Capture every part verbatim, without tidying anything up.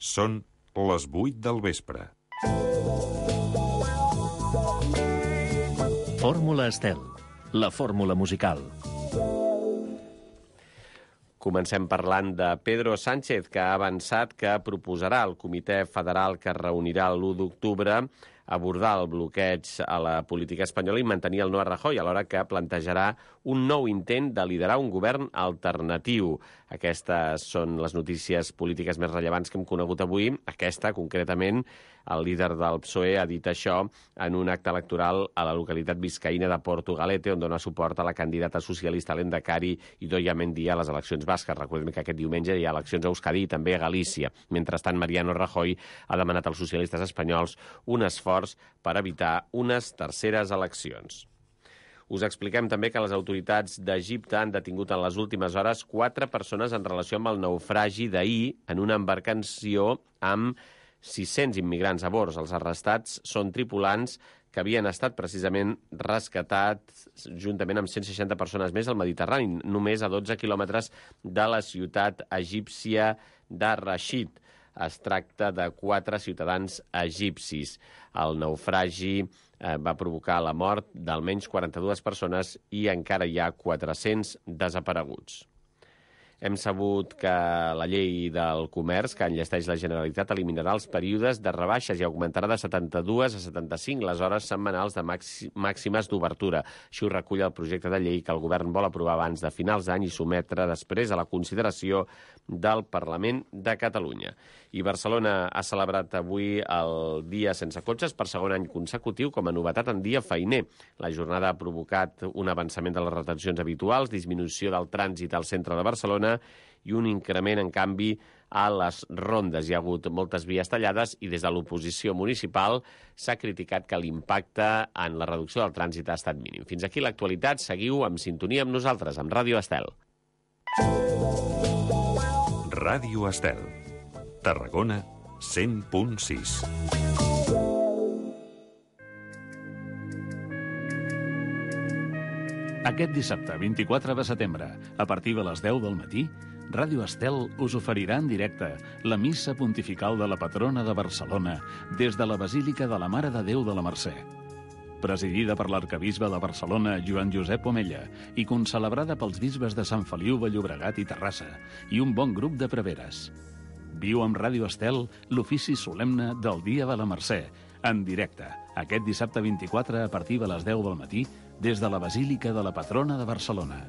Són les vuit del vespre. Fórmula Estel, la fórmula musical. Comencem parlant de Pedro Sánchez, que ha avançat que proposarà al comitè federal que es reunirà l'u d'octubre abordar el bloqueig a la política espanyola i mantenir el no a Rajoy, alhora que plantejarà un nou intent de liderar un govern alternatiu. Aquestes són les notícies polítiques més rellevants que hem conegut avui. Aquesta, concretament, el líder del P S O E ha dit això en un acte electoral a la localitat biscaïna de Portugalete, on dona suport a la candidata socialista Lehendakari Idoia Mendia a les eleccions basques. Recordem que aquest diumenge hi ha eleccions a Euskadi i també a Galícia. Mentrestant, Mariano Rajoy ha demanat als socialistes espanyols un esforç per evitar unes terceres eleccions. Us expliquem també que les autoritats d'Egipte han detingut en les últimes hores quatre persones en relació amb el naufragi d'ahir en una embarcació amb sis-cents immigrants a bord. Els arrestats són tripulants que havien estat precisament rescatats juntament amb cent seixanta persones més al Mediterrani, només a dotze quilòmetres de la ciutat egípcia de Rashid. Es tracta de quatre ciutadans egipcis. El naufragi eh, va provocar la mort d'almenys quaranta-dues persones i encara hi ha quatre-cents desapareguts. Hem sabut que la llei del comerç que enllesteix la Generalitat eliminarà els períodes de rebaixes i augmentarà de setanta-dues a setanta-cinc les hores setmanals de màximes d'obertura. Així ho recull el projecte de llei que el govern vol aprovar abans de finals d'any i sometre després a la consideració del Parlament de Catalunya. I Barcelona ha celebrat avui el Dia Sense Cotxes per segon any consecutiu com a novetat en dia feiner. La jornada ha provocat un avançament de les retencions habituals, disminució del trànsit al centre de Barcelona i un increment, en canvi, a les rondes. Hi ha hagut moltes vies tallades i des de l'oposició municipal s'ha criticat que l'impacte en la reducció del trànsit ha estat mínim. Fins aquí l'actualitat. Seguiu en sintonia amb nosaltres, amb Ràdio Estel. Ràdio Estel. Tarragona, cent punt sis. Aquest dissabte, vint-i-quatre de setembre, a partir de les deu del matí, Ràdio Estel us oferirà en directe la missa pontifical de la patrona de Barcelona des de la Basílica de la Mare de Déu de la Mercè. Presidida per l'arcabisbe de Barcelona, Joan Josep Omella, i concelebrada pels bisbes de Sant Feliu de Llobregat i Terrassa, i un bon grup de preveres. Viu amb Ràdio Estel l'ofici solemne del Dia de la Mercè, en directe, aquest dissabte vint-i-quatre a partir de les deu del matí, des de la Basílica de la Patrona de Barcelona.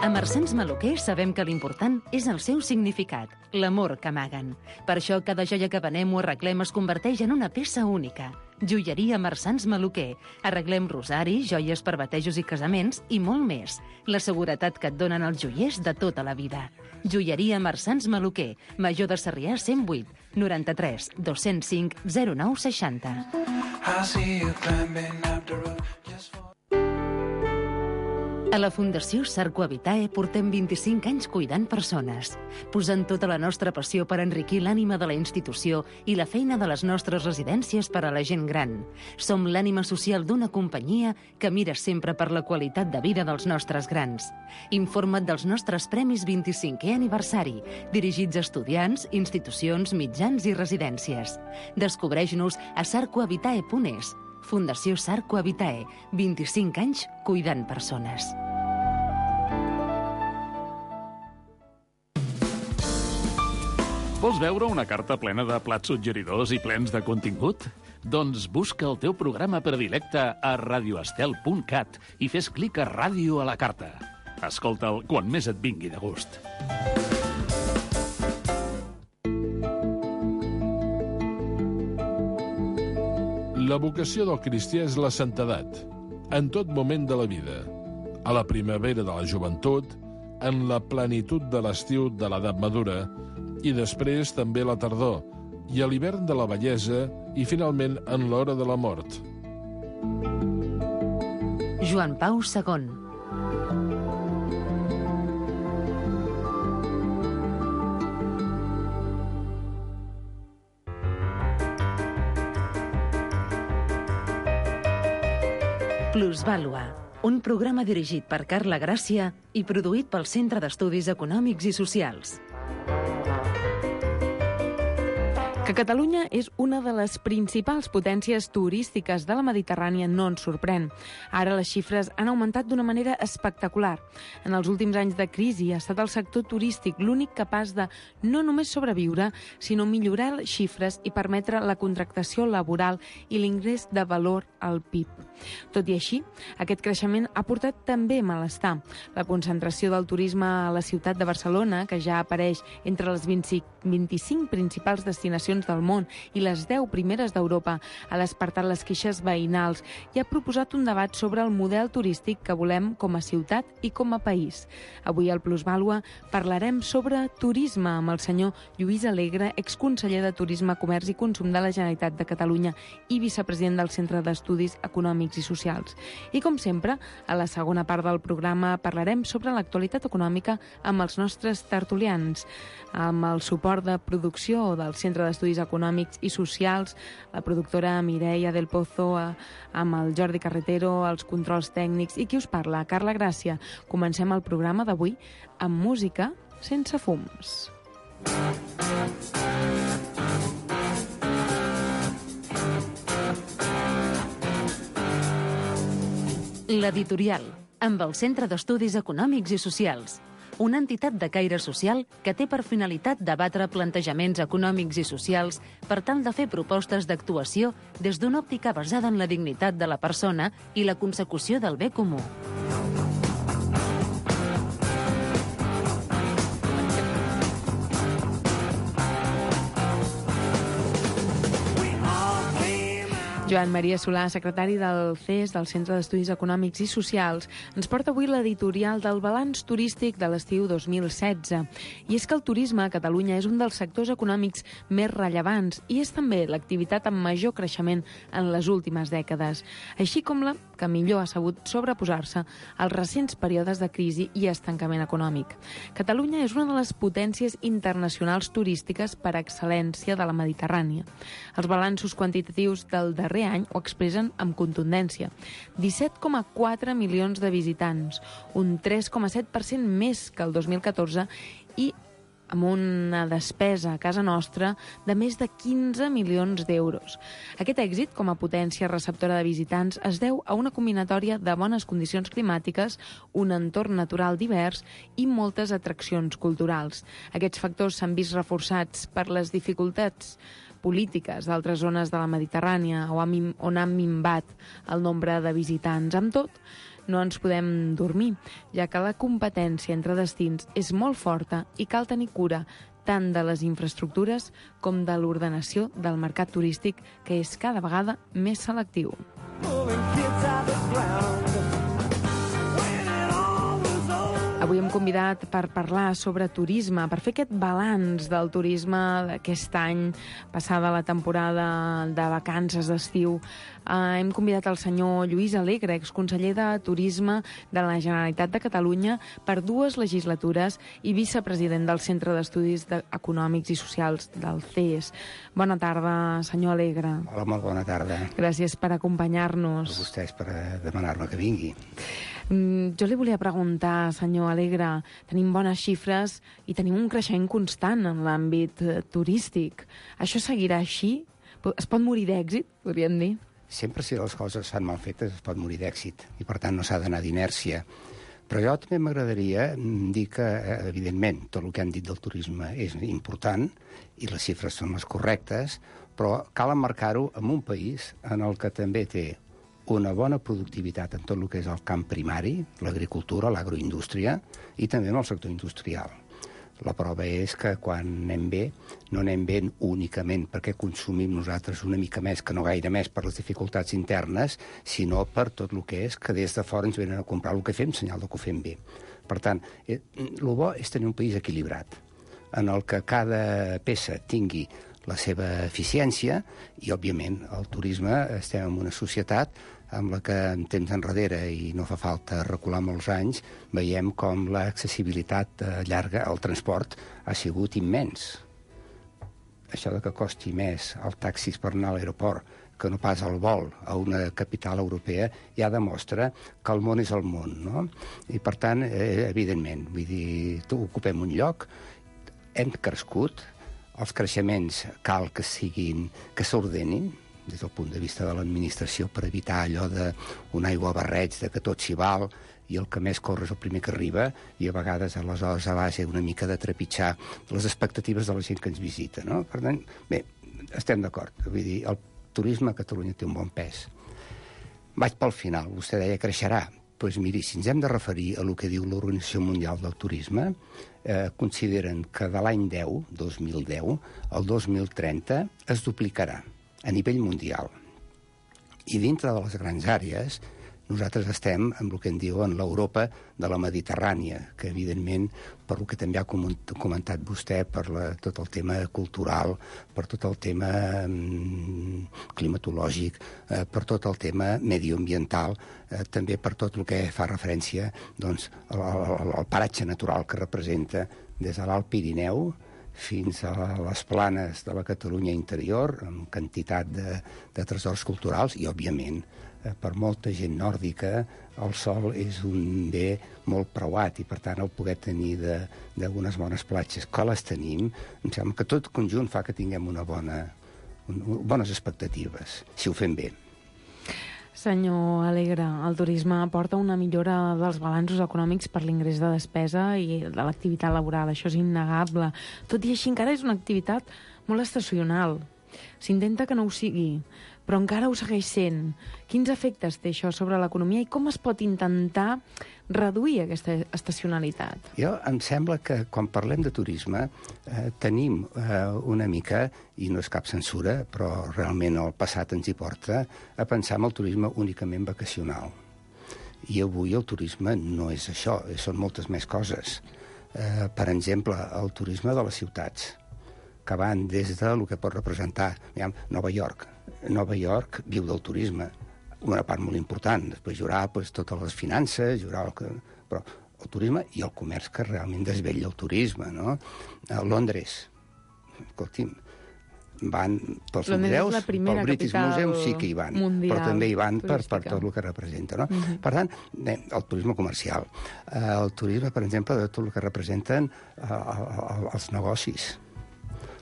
A Marsans Maluquer sabem que l'important és el seu significat, l'amor que amaguen. Per això cada joia que venem o arreglem es converteix en una peça única. Joieria Marsans Maluquer. Arreglem rosaris, joies per batejos i casaments i molt més. La seguretat que et donen els joiers de tota la vida. Joieria Marsans Maluquer. Major de Sarrià cent vuit, noranta-tres, dos-cents cinc, zero nou seixanta. A la Fundació Sarco Habitae portem vint-i-cinc anys cuidant persones, posant tota la nostra passió per enriquir l'ànima de la institució i la feina de les nostres residències per a la gent gran. Som l'ànima social d'una companyia que mira sempre per la qualitat de vida dels nostres grans. Informa't dels nostres premis vint-i-cinquè aniversari, dirigits a estudiants, institucions, mitjans i residències. Descobreix-nos a sarco habitae punt es. Fundació Sarco Habitae, vint-i-cinc anys cuidant persones. Vols veure una carta plena de plats suggeridors i plens de contingut? Doncs busca el teu programa predilecte a radioestel punt cat i fes clic a Ràdio a la carta. Escolta'l quan més et vingui de gust. La vocació del cristià és la santedat, en tot moment de la vida. A la primavera de la joventut, en la plenitud de l'estiu de l'edat madura, i després també la tardor, i a l'hivern de la vellesa, i finalment en l'hora de la mort. Joan Pau segon. Plusvàlua, un programa dirigit per Carla Gràcia i produït pel Centre d'Estudis Econòmics i Socials. Que Catalunya és una de les principals potències turístiques de la Mediterrània no ens sorprèn. Ara les xifres han augmentat d'una manera espectacular. En els últims anys de crisi ha estat el sector turístic l'únic capaç de no només sobreviure, sinó millorar les xifres i permetre la contractació laboral i l'ingrés de valor al P I B. Tot i així, aquest creixement ha portat també malestar. La concentració del turisme a la ciutat de Barcelona, que ja apareix entre les vint-i-cinc principals destinacions del món i les deu primeres d'Europa, ha despertat les queixes veïnals i ha proposat un debat sobre el model turístic que volem com a ciutat i com a país. Avui al Plusvàlua parlarem sobre turisme amb el senyor Lluís Alegre, exconseller de Turisme, Comerç i Consum de la Generalitat de Catalunya i vicepresident del Centre d'Estudis Econòmics i Socials. I com sempre, a la segona part del programa parlarem sobre l'actualitat econòmica amb els nostres tertulians, amb el suport de producció del Centre d'Estudis Econòmics i Socials, la productora Mireia del Pozo, amb el Jordi Carretero, els controls tècnics i qui us parla, Carla Gràcia. Comencem el programa d'avui amb música sense fums. L'editorial, amb el Centre d'Estudis Econòmics i Socials, una entitat de caire social que té per finalitat debatre plantejaments econòmics i socials per tal de fer propostes d'actuació des d'una òptica basada en la dignitat de la persona i la consecució del bé comú. Joan Maria Solà, secretari del C E S, del Centre d'Estudis Econòmics i Socials, ens porta avui l'editorial del balanç turístic de l'estiu dos mil setze. I és que el turisme a Catalunya és un dels sectors econòmics més rellevants i és també l'activitat amb major creixement en les últimes dècades, així com la que millor ha sabut sobreposar-se als recents períodes de crisi i estancament econòmic. Catalunya és una de les potències internacionals turístiques per excel·lència de la Mediterrània. Els balanços quantitatius del darrer any ho expressen amb contundència. disset coma quatre milions de visitants, un tres coma set per cent més que el dos mil catorze i amb una despesa a casa nostra de més de quinze milions d'euros. Aquest èxit, com a potència receptora de visitants, es deu a una combinatòria de bones condicions climàtiques, un entorn natural divers i moltes atraccions culturals. Aquests factors s'han vist reforçats per les dificultats polítiques d'altres zones de la Mediterrània on han minvat el nombre de visitants. Amb tot, no ens podem dormir, ja que la competència entre destins és molt forta i cal tenir cura tant de les infraestructures com de l'ordenació del mercat turístic, que és cada vegada més selectiu. Avui hem convidat per parlar sobre turisme, per fer aquest balanç del turisme d'aquest any, passada la temporada de vacances d'estiu. Uh, hem convidat el senyor Lluís Alegre, exconseller de Turisme de la Generalitat de Catalunya per dues legislatures i vicepresident del Centre d'Estudis Econòmics i Socials del C E S. Bona tarda, senyor Alegre. Hola, molt bona tarda. Gràcies per acompanyar-nos. A vostès per demanar-me que vingui. Mm, jo li volia preguntar, senyor Alegre, tenim bones xifres i tenim un creixement constant en l'àmbit eh, turístic. Això seguirà així? Es pot morir d'èxit, podríem dir? Sempre si les coses es fan mal fetes es pot morir d'èxit i per tant no s'ha d'anar d'inèrcia. Però jo també m'agradaria dir que, evidentment, tot el que han dit del turisme és important i les xifres són les correctes, però cal emmarcar-ho en un país en el que també té una bona productivitat en tot el que és el camp primari, l'agricultura, l'agroindústria, i també en el sector industrial. La prova és que quan anem bé, no anem bé únicament perquè consumim nosaltres una mica més, que no gaire més per les dificultats internes, sinó per tot el que és que des de fora ens venen a comprar el que fem, senyal que ho fem bé. Per tant, el bo és tenir un país equilibrat, en el que cada peça tingui la seva eficiència i, òbviament, el turisme, estem en una societat amb la que en temps enrere, i no fa falta recular molts anys, veiem com l'accessibilitat llarga al transport ha sigut immens. Això de que costi més el taxis per anar a l'aeroport que no pas el vol a una capital europea, ja demostra que el món és el món, no? I, per tant, eh, evidentment, vull dir, ocupem un lloc, hem crescut, els creixements cal que siguin, que s'ordenin, des del punt de vista de l'administració, per evitar allò d'un aigua barreig, de que tot s'hi val, i el que més corre és el primer que arriba, i a vegades, aleshores, a base una mica de trepitjar les expectatives de la gent que ens visita, no? Per tant, bé, estem d'acord. Vull dir, el turisme a Catalunya té un bon pes. Vaig pel final. Vostè deia creixerà. Doncs pues miri, si ens hem de referir a el que diu l'Organització Mundial del Turisme, eh, consideren que de l'any deu, dos mil deu, al dos mil trenta es duplicarà a nivell mundial. I dintre de les grans àrees, nosaltres estem en el que en diuen l'Europa de la Mediterrània, que evidentment, per el que també ha comentat vostè, per la, tot el tema cultural, per tot el tema mm, climatològic, eh, per tot el tema medioambiental, eh, també per tot el que fa referència doncs, al, al, al paratge natural que representa des de l'Alt Pirineu fins a les planes de la Catalunya interior, amb quantitat de, de tresors culturals i, òbviament, per molta gent nòrdica, el sol és un bé molt preuat i, per tant, el poder tenir d'unes bones platges que les tenim, em sembla que tot conjunt fa que tinguem una bona, un, bones expectatives, si ho fem bé. Senyor Alegre, el turisme aporta una millora dels balanços econòmics per l'ingrés de despesa i de l'activitat laboral, això és innegable. Tot i així, encara és una activitat molt estacional. S'intenta que no ho sigui, però encara ho segueix sent. Quins efectes té això sobre l'economia i com es pot intentar reduir aquesta estacionalitat? Jo em sembla que quan parlem de turisme eh, tenim eh, una mica, i no és cap censura, però realment el passat ens hi porta, a pensar en el turisme únicament vacacional. I avui el turisme no és això, són moltes més coses. Eh, per exemple, el turisme de les ciutats, que van des de el que pot representar, diguem, Nova York. Nova York viu del turisme, una part molt important. Després hi haurà pues, totes les finances, hi haurà el que... però el turisme i el comerç que realment desvetlla el turisme, no? A Londres, escolti'm, van pels museus, pel British Museum sí que hi van, però també hi van per, per tot el que representa, no? Uh-huh. Per tant, el turisme comercial, el turisme, per exemple, de tot el que representen els negocis,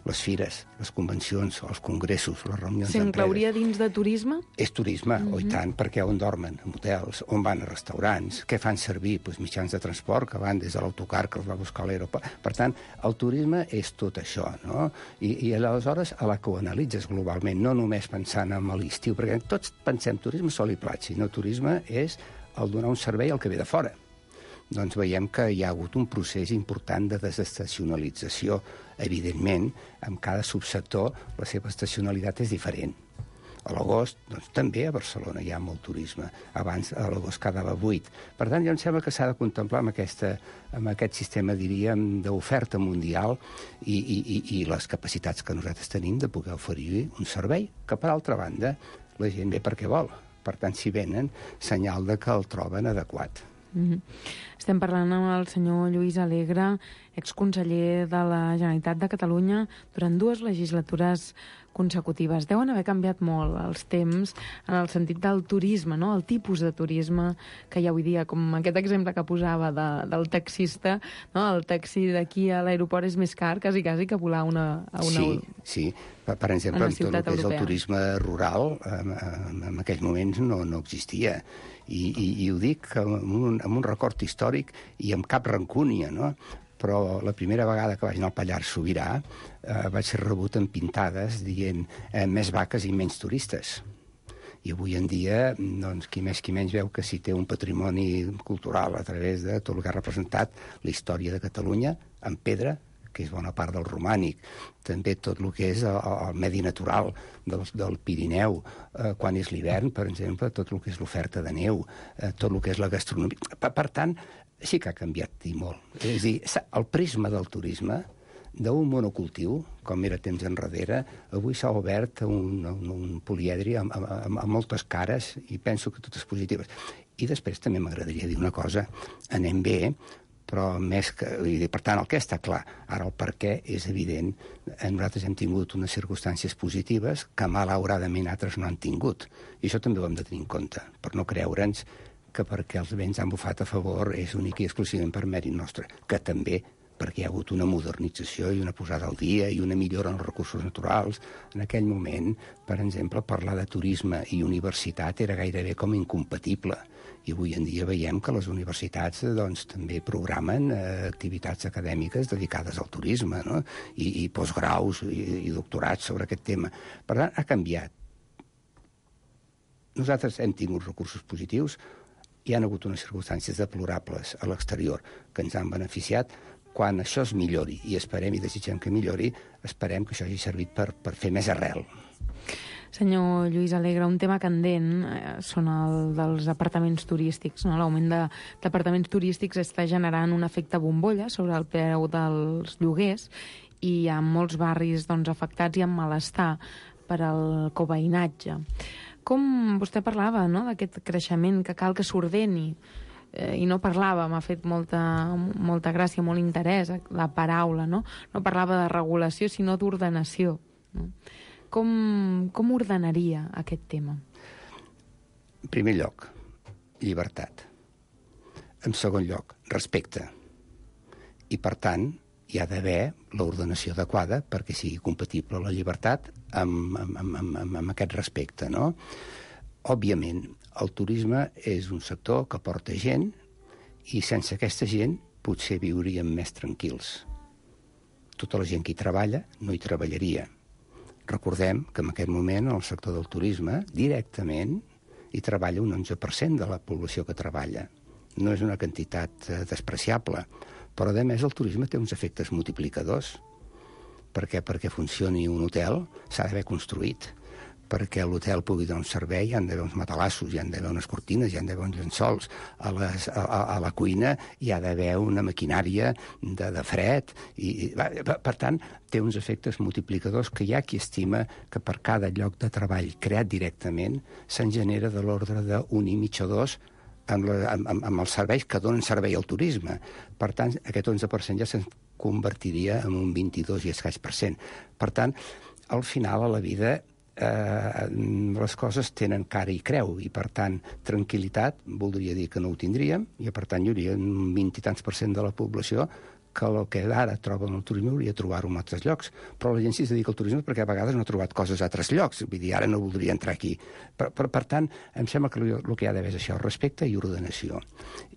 les fires, les convencions, els congressos, les reunions d'empreses. S'inclouria dins de turisme? És turisme, mm-hmm. oh, i tant, perquè on dormen? En hotels, on van a restaurants, què fan servir? Pues, mitjans de transport que van des de l'autocar que els va buscar a l'aeroport. Per tant, el turisme és tot això, no? I, i aleshores, a la que ho analitzes globalment, no només pensant en l'estiu, perquè tots pensem turisme sol i platja, no turisme és el donar un servei al que ve de fora. Doncs veiem que hi ha hagut un procés important de desestacionalització. Evidentment, en cada subsector la seva estacionalitat és diferent. A l'agost, doncs, també a Barcelona hi ha molt turisme. Abans, a l'agost quedava buit. Per tant, jo em sembla que s'ha de contemplar amb, aquesta, amb aquest sistema, diríem, d'oferta mundial i, i, i, i les capacitats que nosaltres tenim de poder oferir un servei que, per altra banda, la gent ve perquè vol. Per tant, si venen, senyal de que el troben adequat. Mm-hmm. Estem parlant amb el senyor Lluís Alegre, exconseller de la Generalitat de Catalunya durant dues legislatures consecutives. Deuen haver canviat molt els temps en el sentit del turisme, no? El tipus de turisme que hi ha avui dia, com aquest exemple que posava de, del taxista, no? El taxi d'aquí a l'aeroport és més car, quasi, quasi, que volar una, a una... Sí, sí. Per, per exemple, tot el que és el turisme rural, en, en aquells moments no, no existia. I, i, i ho dic amb un, amb un record històric i amb cap rancúnia, no? Però la primera vegada que vaig anar al Pallars Sobirà eh, vaig ser rebut amb pintades dient eh, més vaques i menys turistes. I avui en dia, doncs, qui més qui menys veu que si té un patrimoni cultural a través de tot el que ha representat la història de Catalunya, en pedra, que és bona part del romànic, també tot el que és el, el medi natural del, del Pirineu, eh, quan és l'hivern, per exemple, tot el que és l'oferta de neu, eh, tot el que és la gastronomia. Per, per tant, sí que ha canviat i molt. És a dir, el prisma del turisme, d'un monocultiu, com era temps enrere, avui s'ha obert un, un, un poliedri amb, amb, amb moltes cares i penso que totes positives. I després també m'agradaria dir una cosa, anem bé, però més que... Per tant, el que està clar, ara el per què és evident. Nosaltres hem tingut unes circumstàncies positives que malauradament altres no han tingut. I això també ho hem de tenir en compte, per no creure'ns que perquè els vents han bufat a favor és únic i exclusivament per mèrit nostre, que també perquè hi ha hagut una modernització i una posada al dia i una millora en els recursos naturals. En aquell moment, per exemple, parlar de turisme i universitat era gairebé com incompatible. I avui en dia veiem que les universitats doncs, també programen eh, activitats acadèmiques dedicades al turisme, no? I, i postgraus i, i doctorats sobre aquest tema. Per tant, ha canviat. Nosaltres hem tingut recursos positius, hi ha hagut unes circumstàncies deplorables a l'exterior que ens han beneficiat. Quan això es millori, i esperem i desitgem que millori, esperem que això hagi servit per, per fer més arrel. Senyor Lluís Alegre, un tema candent eh, són el dels apartaments turístics. No? L'augment d'apartaments turístics està generant un efecte bombolla sobre el preu dels lloguers i hi ha molts barris doncs, afectats i amb malestar per al coveïnatge. Com vostè parlava, no?, d'aquest creixement que cal que s'ordeni, eh, i no parlava, m'ha fet molta, molta gràcia, molt interès la paraula, no? No parlava de regulació, sinó d'ordenació. No? Com, com ordenaria aquest tema? En primer lloc, llibertat. En segon lloc, respecte. I, per tant, hi ha d'haver l'ordenació adequada perquè sigui compatible la llibertat amb, amb, amb, amb, amb aquest respecte, no? Òbviament, el turisme és un sector que porta gent i sense aquesta gent potser viuríem més tranquils. Tota la gent que hi treballa no hi treballaria. Recordem que en aquest moment en el sector del turisme directament hi treballa un onze per cent de la població que treballa. No és una quantitat eh, despreciable, però a més el turisme té uns efectes multiplicadors. Perquè perquè funcioni un hotel s'ha d'haver construït. Perquè l'hotel pugui donar un servei hi han d'haver uns matalassos, hi han d'haver unes cortines, hi han d'haver uns llençols. A, les, a, a la cuina hi ha d'haver una maquinària de, de fred. I, per, per tant, té uns efectes multiplicadors que hi ha qui estima que per cada lloc de treball creat directament se'n genera de l'ordre d'un i mig o dos amb, la, amb, amb els serveis que donen servei al turisme. Per tant, aquest onze per cent ja se'n convertiria en un vint-i-dos i escaig per cent. Per tant, al final, a la vida, eh, les coses tenen cara i creu, i per tant, tranquil·litat voldria dir que no ho tindríem, i per tant hi hauria un vint i tants per cent de la població que el que ara troba en el turisme hauria de trobar-ho en altres llocs. Però la gent sí es dedica al turisme perquè a vegades no ha trobat coses a altres llocs. Vull dir, ara no voldria entrar aquí. Per, per, per tant, em sembla que el que hi ha d'haver és això, respecte i ordenació.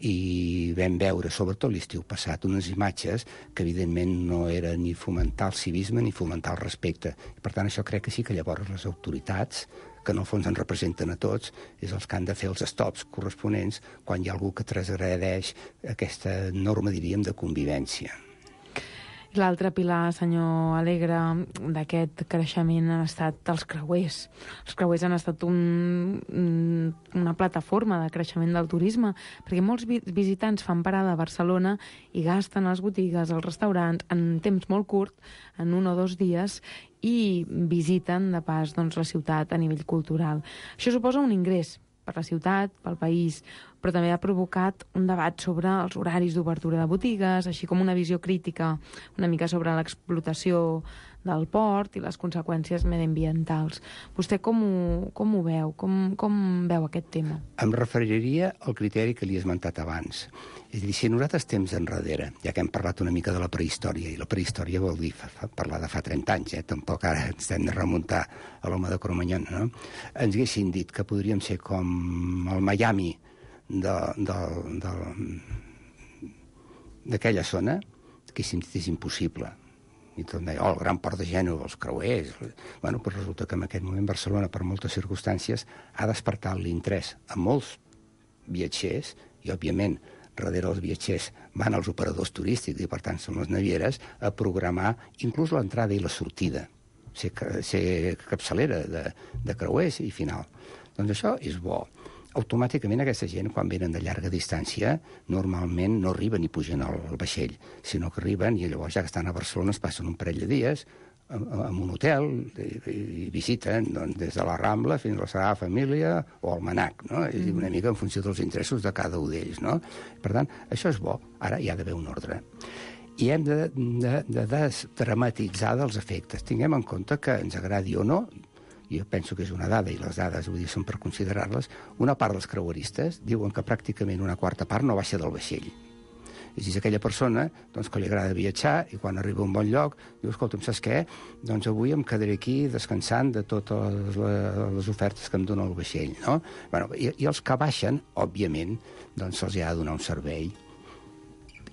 I vam veure, sobretot l'estiu passat, unes imatges que evidentment no era ni fomentar el civisme ni fomentar el respecte. I per tant, això crec que sí que llavors les autoritats, que en el fons ens representen a tots, és els que han de fer els stops corresponents quan hi ha algú que transgredeix aquesta norma, diríem, de convivència. L'altre pilar, senyor Alegre, d'aquest creixement han estat els creuers. Els creuers han estat un, una plataforma de creixement del turisme, perquè molts visitants fan parada a Barcelona i gasten a les botigues, als restaurants, en temps molt curt, en un o dos dies, i visiten, de pas, doncs, la ciutat a nivell cultural. Això suposa un ingrés per la ciutat, pel país, però també ha provocat un debat sobre els horaris d'obertura de botigues, així com una visió crítica una mica sobre l'explotació del port i les conseqüències mediambientals. Vostè com ho, com ho veu? Com, com veu aquest tema? Em referiria al criteri que li he esmentat abans. És a dir, si nosaltres temps enrere, ja que hem parlat una mica de la prehistòria, i la prehistòria vol dir fa, fa, parlar de fa trenta anys, eh? Tampoc ara ens hem de remuntar a l'home de Cromanyón, no? Ens haguessin dit que podríem ser com el Miami de, de, de, d'aquella zona, que és impossible. I tot deia, oh, el gran port de Gènova, els creuers... Bueno, doncs resulta que en aquest moment Barcelona, per moltes circumstàncies, ha despertat l'interès a molts viatgers, i, òbviament, darrere els viatgers van els operadors turístics, i, per tant, són les navieres, a programar inclús l'entrada i la sortida, ser, ser capçalera de, de creuers i final. Doncs això és bo. Automàticament aquesta gent, quan venen de llarga distància, normalment no arriben i pugen al vaixell, sinó que arriben i llavors, ja que estan a Barcelona, es passen un parell de dies, en un hotel i, i visiten doncs, des de la Rambla fins a la Sagrada Família o al Manac, no? És mm. una mica en funció dels interessos de cada un d'ells, no? Per tant, això és bo. Ara hi ha d'haver un ordre. I hem de, de, de desdramatitzar dels efectes. Tinguem en compte que ens agradi o no, jo penso que és una dada, i les dades vull dir, són per considerar-les, una part dels creueristes diuen que pràcticament una quarta part no baixa del vaixell. És aquella persona doncs, que li agrada viatjar i quan arriba a un bon lloc diu, escolta'm, saps què? Doncs avui em quedaré aquí descansant de totes les ofertes que em dona el vaixell, no? Bueno, i, i els que baixen, òbviament, doncs se'ls ha de donar un servei.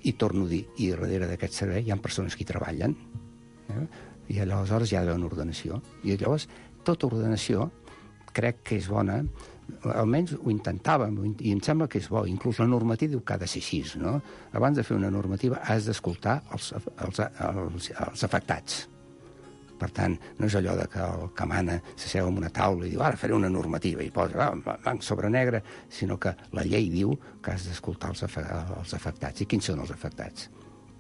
I torno a dir, i darrere d'aquest servei hi ha persones que hi treballen, eh? I aleshores hi ha d'haver una ordenació. I llavors, tota ordenació crec que és bona, almenys ho intentàvem, i em sembla que és bo. Inclús la normativa diu que ha de ser així, no? Abans de fer una normativa has d'escoltar els, els, els, els afectats. Per tant, no és allò de que el que mana s'asseu en una taula i diu ara faré una normativa i posa blanc sobre negre, sinó que la llei diu que has d'escoltar els, afe els afectats. I quins són els afectats?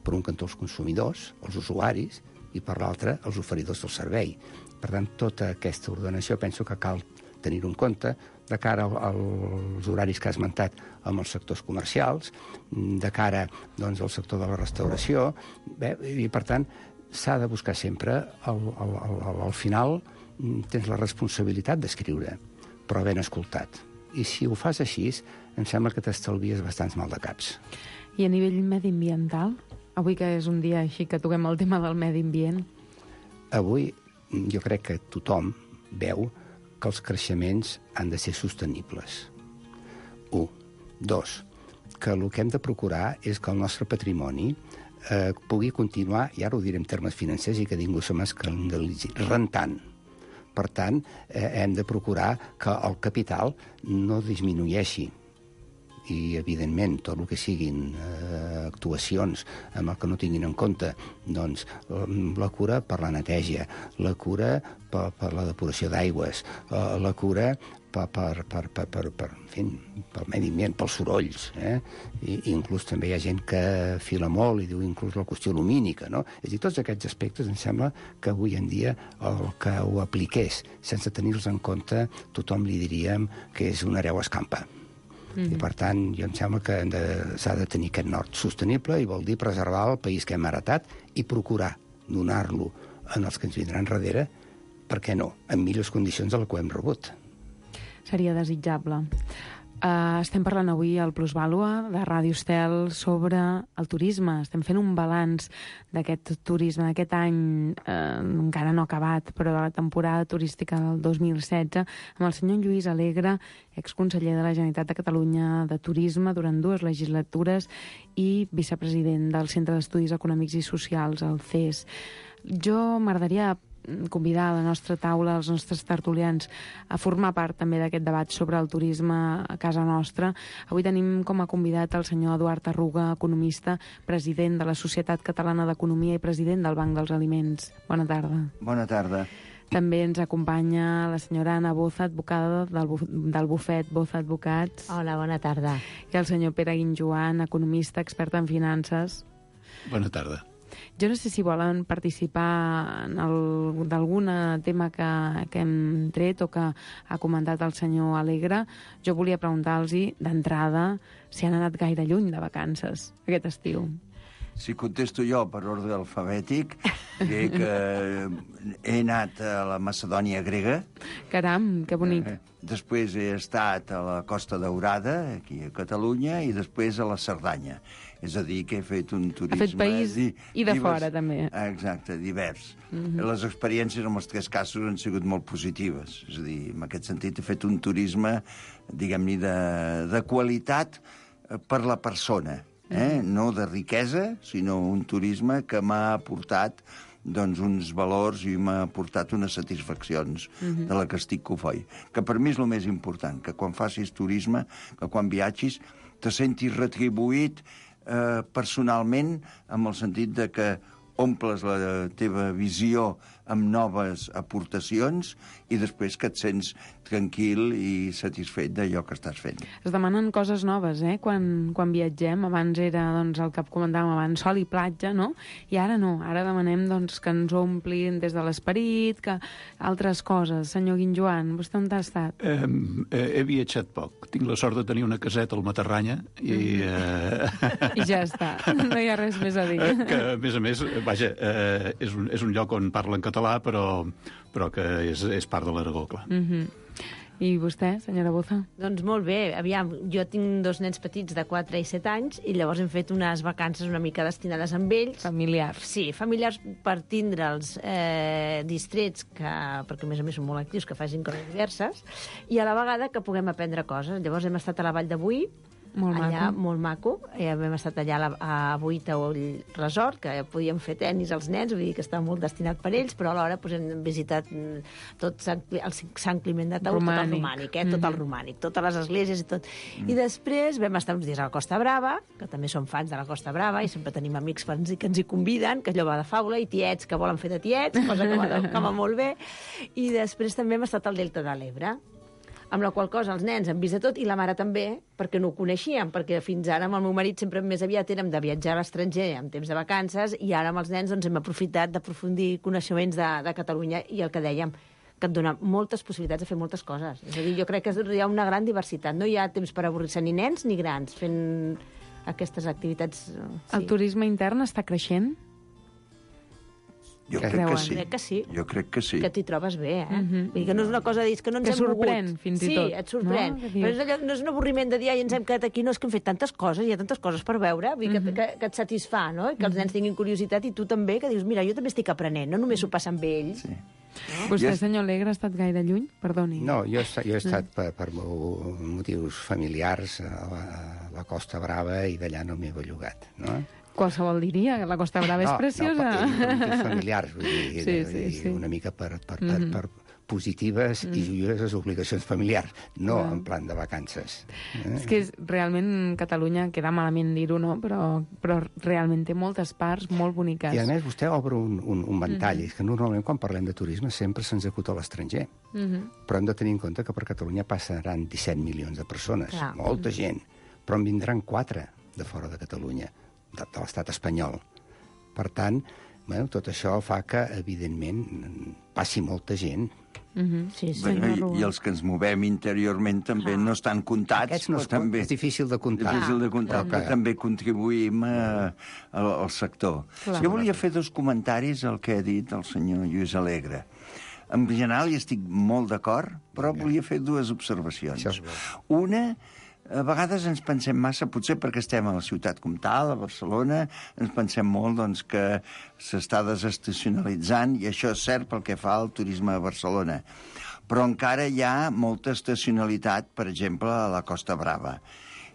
Per un cantó els consumidors, els usuaris, i per l'altre els oferidors del servei. Per tant, tota aquesta ordenació penso que cal tenir-ho en compte de cara als horaris que has esmentat amb els sectors comercials, de cara doncs, al sector de la restauració, bé, i per tant s'ha de buscar sempre, al, al, al, al final tens la responsabilitat d'escriure, però ben escoltat. I si ho fas així, em sembla que t'estalvies bastants maldecaps. I a nivell mediambiental? Avui que és un dia així que toquem el tema del medi ambient. Avui jo crec que tothom veu que els creixements han de ser sostenibles. Un. Dos, que el que hem de procurar és que el nostre patrimoni eh, pugui continuar, i ara ho diré en termes financers i que ningú se m'escandalitzi, rentant. Per tant, eh, hem de procurar que el capital no disminueixi. I, evidentment, tot el que siguin eh, actuacions amb el que no tinguin en compte, doncs, la cura per la neteja, la cura per, per la depuració d'aigües, eh, la cura per, per, per, per, per, per, en fi, pel medi ambient, pels sorolls. Eh? I, inclús també hi ha gent que fila molt i diu inclús la qüestió lumínica, no? És a dir, tots aquests aspectes em sembla que avui en dia el que ho apliqués sense tenir-los en compte tothom li diríem que és un hereu escampa. Mm. I, per tant, jo em sembla que s'ha de tenir aquest nord sostenible i vol dir preservar el país que hem heretat i procurar donar-lo en els que ens vindran darrere, per què no, en millors condicions de la que ho hem rebut. Seria desitjable. Uh, estem parlant avui al Plusvàlua de Ràdio Estel sobre el turisme. Estem fent un balanç d'aquest turisme, d'aquest any eh, encara no acabat, però de la temporada turística del dos mil setze, amb el senyor Lluís Alegre, exconseller de la Generalitat de Catalunya de Turisme durant dues legislatures i vicepresident del Centre d'Estudis Econòmics i Socials, el C E S. Jo m'agradaria convidar a la nostra taula, els nostres tertulians, a formar part també d'aquest debat sobre el turisme a casa nostra. Avui tenim com a convidat el senyor Eduard Arruga, economista, president de la Societat Catalana d'Economia i president del Banc dels Aliments. Bona tarda. Bona tarda. També ens acompanya la senyora Anna Boza, advocada del, buf del bufet Boza Advocats. Hola, bona tarda. I el senyor Pere Guinjoan, economista, expert en finances. Bona tarda. Jo no sé si volen participar d'algun tema que, que hem tret o que ha comentat el senyor Alegre. Jo volia preguntar-los d'entrada si han anat gaire lluny de vacances aquest estiu. Si contesto jo per ordre alfabètic, diré que he anat a la Macedònia grega. Caram, que bonic. Eh, després he estat a la Costa Daurada, aquí a Catalunya, i després a la Cerdanya. És a dir, que he fet un turisme... Ha fet país i de divers, fora, també. Exacte, divers. Mm-hmm. Les experiències en els tres casos han sigut molt positives. És a dir, en aquest sentit he fet un turisme, diguem-ne, de, de qualitat per la persona. Eh? No de riquesa, sinó un turisme que m'ha aportat doncs, uns valors i m'ha aportat unes satisfaccions uh-huh. de la que estic cofoi. Que per mi és el més important, que quan facis turisme, que quan viatgis, te sentis retribuït eh, personalment, amb el sentit de que omples la teva visió amb noves aportacions i després que et sents tranquil i satisfet d'allò que estàs fent. Es demanen coses noves, eh? Quan, quan viatgem, abans era doncs, el que comentàvem abans, sol i platja, no? I ara no, ara demanem doncs, que ens omplin des de l'esperit, que altres coses. Senyor Guinjoan, vostè on ha estat? Eh, eh, he viatjat poc. Tinc la sort de tenir una caseta al Matarranya i... Eh... I ja està, no hi ha res més a dir. Que, a més a més, vaja, eh, és, un, és un lloc on parlen català, però, però que és, és part de l'Aragó, clar. Mm-hmm. I vostè, senyora Boza? Doncs molt bé. Aviam, jo tinc dos nens petits de quatre i set anys i llavors hem fet unes vacances una mica destinades amb ells. Familiars. Sí, familiars per tindre'ls eh, distrets, que, perquè a més a més són molt actius, que facin coses diverses, i a la vegada que puguem aprendre coses. Llavors hem estat a la Vall de Boí, Molt allà, maco. molt maco. Eh, hem estat allà a, la, a Boita o el resort, que podíem fer tenis als nens, vull dir que estava molt destinat per ells, però alhora pues, hem visitat tot Sant, el Sant Climent de Taús, tot el romànic, eh? tot mm-hmm. el romànic, totes les esglésies i tot. Mm. I després vam estar uns dies a la Costa Brava, que també som fans de la Costa Brava, i sempre tenim amics que ens, que ens hi conviden, que allò va de faula, i tiets que volen fer de tiets, cosa que va, que va molt bé. I després també hem estat al Delta de l'Ebre, amb la qual cosa els nens han vist de tot, i la mare també, perquè no ho coneixíem, perquè fins ara amb el meu marit sempre més aviat érem de viatjar a l'estranger en temps de vacances, i ara amb els nens doncs, hem aprofitat d'aprofundir coneixements de, de Catalunya, i el que dèiem, que et dona moltes possibilitats de fer moltes coses. És a dir, jo crec que hi ha una gran diversitat, no hi ha temps per avorrir-se ni nens ni grans fent aquestes activitats. Sí. El turisme intern està creixent? Jo crec que, sí. crec que sí. Jo crec que sí. Que t'hi trobes bé, eh? Mm-hmm. Vull dir que no és una cosa de dir que no ens que hem sorprèn, mogut. fins i sí, tot. Sí, et sorprèn. No? Però és allò, no és un avorriment de dir, ai, ens hem quedat aquí, no, és que hem fet tantes coses, hi ha tantes coses per veure, vull dir Mm-hmm. que, que, que et satisfà, no? I que els nens tinguin curiositat, i tu també, que dius, mira, jo també estic aprenent, no només s'ho passa amb ells. Sí. No? Vostè, Jo- senyor Alegre, ha estat gaire lluny? Perdoni. No, jo, he estat- jo he estat per, per mo- motius familiars a la, a la Costa Brava i d'allà no m'he bellugat, no? Qualsevol diria que la Costa Brava és preciosa. No, per, per motius familiars, vull dir, Sí, de- sí, i sí. una mica per, per, per, Mhm. per positives i joioses obligacions familiars, no Clar. en plan de vacances. Eh? És que és, realment Catalunya, queda malament dir-ho, no? Però, però realment té moltes parts molt boniques. I a més vostè obre un, un, un ventall, és que normalment quan parlem de turisme sempre se'ns acuta a l'estranger, Mhm. però hem de tenir en compte que per Catalunya passaran disset milions de persones, Clar. molta gent, però en vindran quatre de fora de Catalunya, de, de l'estat espanyol. Per tant, bueno, tot això fa que, evidentment, passi molta gent. Mhm. Sí, sí. Bueno, senyor i, Rubó. I els que ens movem interiorment també Ah. no estan comptats, Aquests no però es, també... és difícil de comptar. Difícil de comptar, Però però que- també contribuïm a, a, al sector. Clar. Jo volia fer dos comentaris al que ha dit el senyor Lluís Alegre. En general hi estic molt d'acord, però volia fer dues observacions. Això és bo. Una, a vegades ens pensem massa, potser perquè estem a la ciutat comtal, a Barcelona, ens pensem molt doncs, que s'està desestacionalitzant, i això és cert pel que fa al turisme a Barcelona. Però encara hi ha molta estacionalitat, per exemple, a la Costa Brava.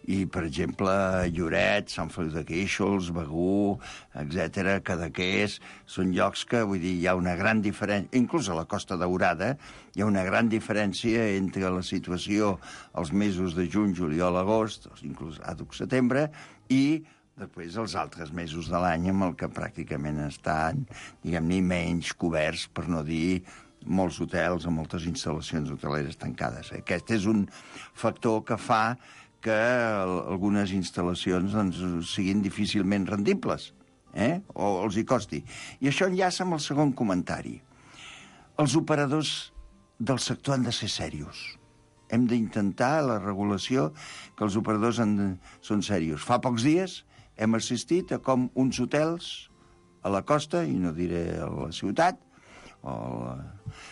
I, per exemple, Lloret, Sant Feliu de Guíxols, Begur, etcètera, Cadaqués, són llocs que, vull dir, hi ha una gran diferència, inclús a la Costa Daurada, hi ha una gran diferència entre la situació als mesos de juny, juliol, agost, inclús àdhuc setembre, i després els altres mesos de l'any amb el que pràcticament estan, diguem-ne, menys coberts, per no dir molts hotels o moltes instal·lacions hoteleres tancades. Aquest és un factor que fa que algunes instal·lacions doncs, siguin difícilment rendibles, eh? o els hi costi. I això enllaça amb el segon comentari. Els operadors del sector han de ser serios. Hem d'intentar la regulació que els operadors han de... són serios. Fa pocs dies hem assistit a com uns hotels a la costa, i no diré a la ciutat, o la...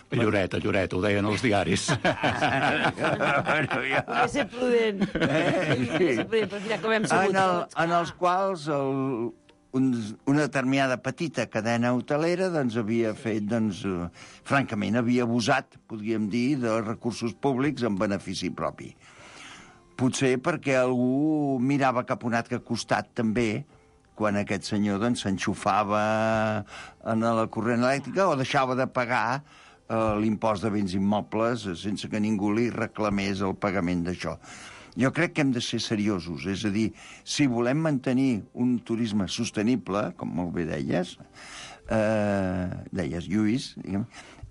A Lloret, a Lloret, ho deien els diaris. bueno, ja... Volia ser prudent. Eh, Volia ser prudent, però mira com hem sigut en, el, tots. en els quals el, un, una determinada petita cadena hotelera doncs, havia fet, doncs, eh, francament, havia abusat, podríem dir, de recursos públics en benefici propi. Potser perquè algú mirava cap a un altre costat també, quan aquest senyor doncs, s'enxufava en la corrent elèctrica o deixava de pagar eh, l'impost de béns immobles sense que ningú li reclamés el pagament d'això. Jo crec que hem de ser seriosos, és a dir, si volem mantenir un turisme sostenible, com molt bé deies, eh, deies, Lluís, diguem,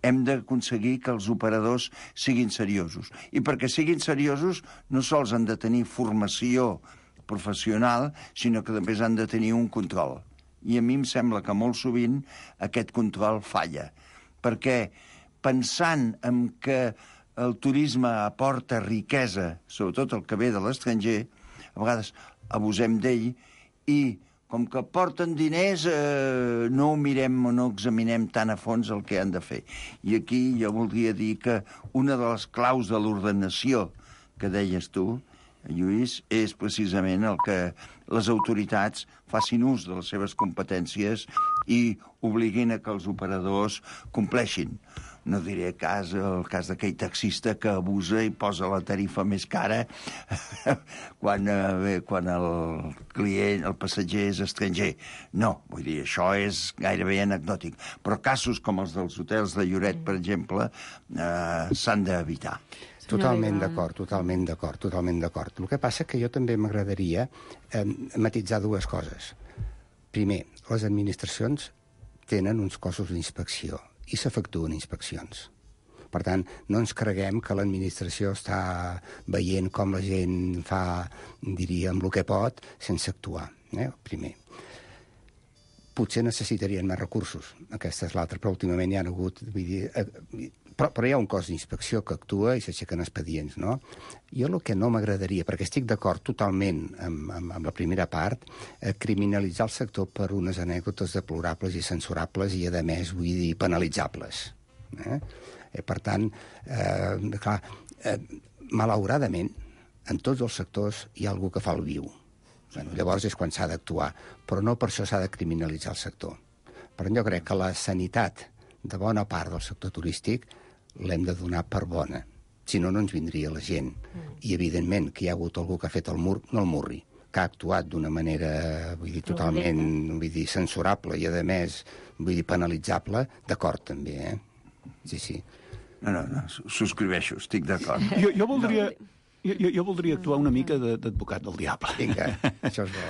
hem d'aconseguir que els operadors siguin seriosos. I perquè siguin seriosos no sols han de tenir formació professional, sinó que també han de tenir un control. I a mi em sembla que molt sovint aquest control falla, perquè pensant en que el turisme aporta riquesa, sobretot el que ve de l'estranger, a vegades abusem d'ell i, com que porten diners, eh, no ho mirem o no examinem tan a fons el que han de fer. I aquí jo voldria dir que una de les claus de l'ordenació que deies tu, Lluís, és precisament el que les autoritats facin ús de les seves competències i obliguin a que els operadors compleixin. No diré cas, el cas d'aquell taxista que abusa i posa la tarifa més cara quan, eh, quan el client, el passatger és estranger. No, vull dir, això és gairebé anecdòtic. Però casos com els dels hotels de Lloret, per exemple, eh, s'han d'evitar. Totalment d'acord, totalment d'acord, totalment d'acord. El que passa que jo també m'agradaria eh, matitzar dues coses. Primer, les administracions tenen uns cossos d'inspecció i s'efectuen inspeccions. Per tant, no ens creguem que l'administració està veient com la gent fa, diria, amb el que pot, sense actuar. Eh? Primer. Potser necessitarien més recursos, aquesta és l'altra, però últimament hi ha hagut... Vull dir, eh, però, però hi ha un cos d'inspecció que actua i s'aixequen expedients, no? Jo el que no m'agradaria, perquè estic d'acord totalment amb, amb, amb la primera part, eh, criminalitzar el sector per unes anècdotes deplorables i censurables i, a més, vull dir, penalitzables. Eh? Eh, per tant, eh, clar, eh, malauradament, en tots els sectors hi ha algú que fa el viu. Bueno, llavors és quan s'ha d'actuar, però no per això s'ha de criminalitzar el sector. Però jo crec que la sanitat de bona part del sector turístic l'hem de donar per bona. Si no, no ens vindria la gent. I, evidentment, que hi ha hagut algú que ha fet el mur, no el murri, que ha actuat d'una manera, vull dir, totalment, vull dir, censurable i, a més, vull dir, penalitzable, d'acord, també, eh? Sí, sí. No, no, no, subscriveixo, estic d'acord. Jo, jo voldria... Jo, jo voldria actuar una mica d'advocat del diable. Vinga, això és bo.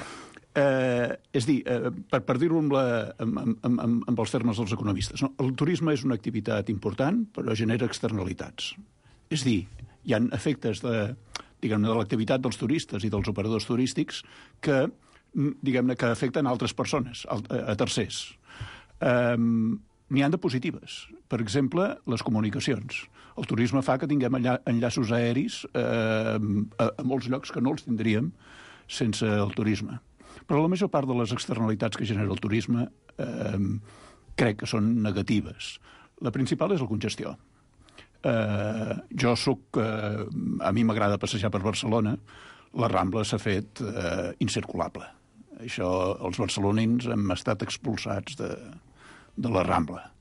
Eh, és dir, eh, per, per dir-ho amb, la, amb, amb, amb, amb els termes dels economistes, no? El turisme és una activitat important, però genera externalitats. És dir, hi ha efectes de, diguem-ne, de l'activitat dels turistes i dels operadors turístics que, diguem-ne, que afecten altres persones, a, a tercers. Eh, N'hi ha de positives. Per exemple, les comunicacions. El turisme fa que tinguem enlla enllaços aeris eh, a, a molts llocs que no els tindríem sense el turisme. Però la major part de les externalitats que genera el turisme eh, crec que són negatives. La principal és la congestió. Eh, jo soc... Eh, a mi m'agrada passejar per Barcelona. La Rambla s'ha fet eh, incirculable. Això, els barcelonins hem estat expulsats de... de la Rambla.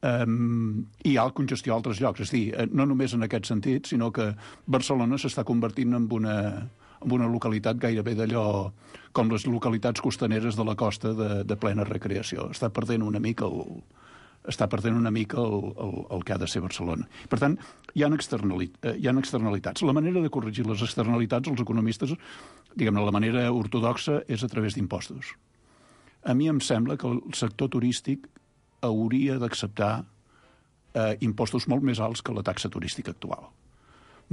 Um, I hi ha congestió a altres llocs. És a dir, no només en aquest sentit, sinó que Barcelona s'està convertint en una, en una localitat gairebé d'allò com les localitats costaneres de la costa de, de plena recreació. Està perdent una mica el, està perdent una mica el, el, el que ha de ser Barcelona. Per tant, hi ha, externalit, hi ha externalitats. La manera de corregir les externalitats, els economistes, diguem-ne, la manera ortodoxa és a través d'impostos. A mi em sembla que el sector turístic hauria d'acceptar eh, impostos molt més alts que la taxa turística actual.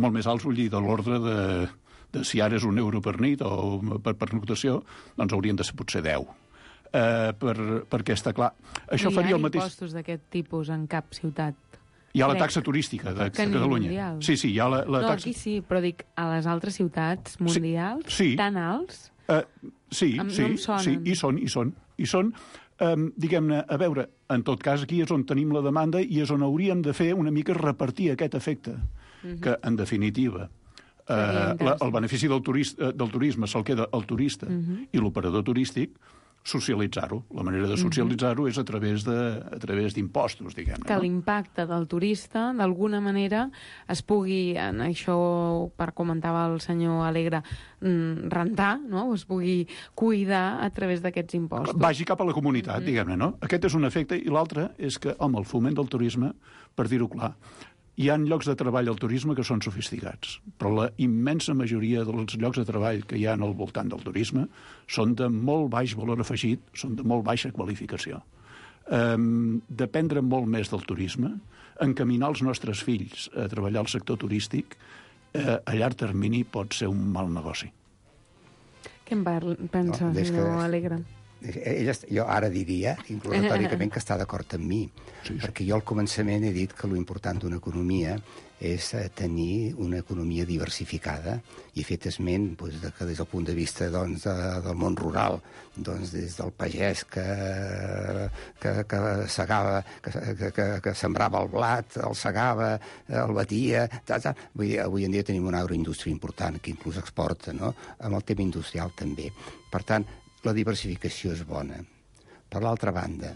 Molt més alts, vull dir, de l'ordre de, de si ara és un euro per nit o per pernoctació, doncs haurien de ser potser deu. Eh, per, perquè està clar... Això faria el mateix... Hi ha impostos d'aquest tipus en cap ciutat? Hi ha la taxa turística de, de Catalunya. Sí, sí, hi ha la, la no, taxa... aquí sí, però dic, a les altres ciutats mundials, sí, sí. Tan alts... Uh, sí, em, sí, no sí, i són, i són. I són, um, diguem-ne, a veure, en tot cas aquí és on tenim la demanda i és on hauríem de fer una mica repartir aquest efecte, uh-huh. que, en definitiva, uh, la, el benefici del, turista, del turisme se'l queda el turista uh-huh. i l'operador turístic, socialitzar-ho. La manera de socialitzar-ho és a través de, a través d'impostos, diguem-ne. Que no? l'impacte del turista, d'alguna manera, es pugui, en això, per comentava el senyor Alegre, rentar, no? Es pugui cuidar a través d'aquests impostos. Vagi cap a la comunitat, mm-hmm. diguem-ne, no? Aquest és un efecte, i l'altre és que, home, el foment del turisme, per dir-ho clar, Hi ha llocs de treball al turisme que són sofisticats, però la immensa majoria dels llocs de treball que hi ha al voltant del turisme són de molt baix valor afegit, són de molt baixa qualificació. Um, dependre molt més del turisme, encaminar els nostres fills a treballar al sector turístic, eh, a llarg termini pot ser un mal negoci. Què en pensa, no, senyor que... Alegre? Ella, jo ara diria, inclús retòricament, que està d'acord amb mi, sí, sí. perquè jo al començament he dit que l'important d'una economia és tenir una economia diversificada, i he fet esment doncs, de que des del punt de vista doncs, de, del món rural, doncs, des del pagès que, que, que segava, que, que, que, que sembrava el blat, el segava, el batia... Tal, tal. Vull dir, avui en dia tenim una agroindústria important que inclús exporta, no? Amb el tema industrial també. Per tant, la diversificació és bona. Per l'altra banda,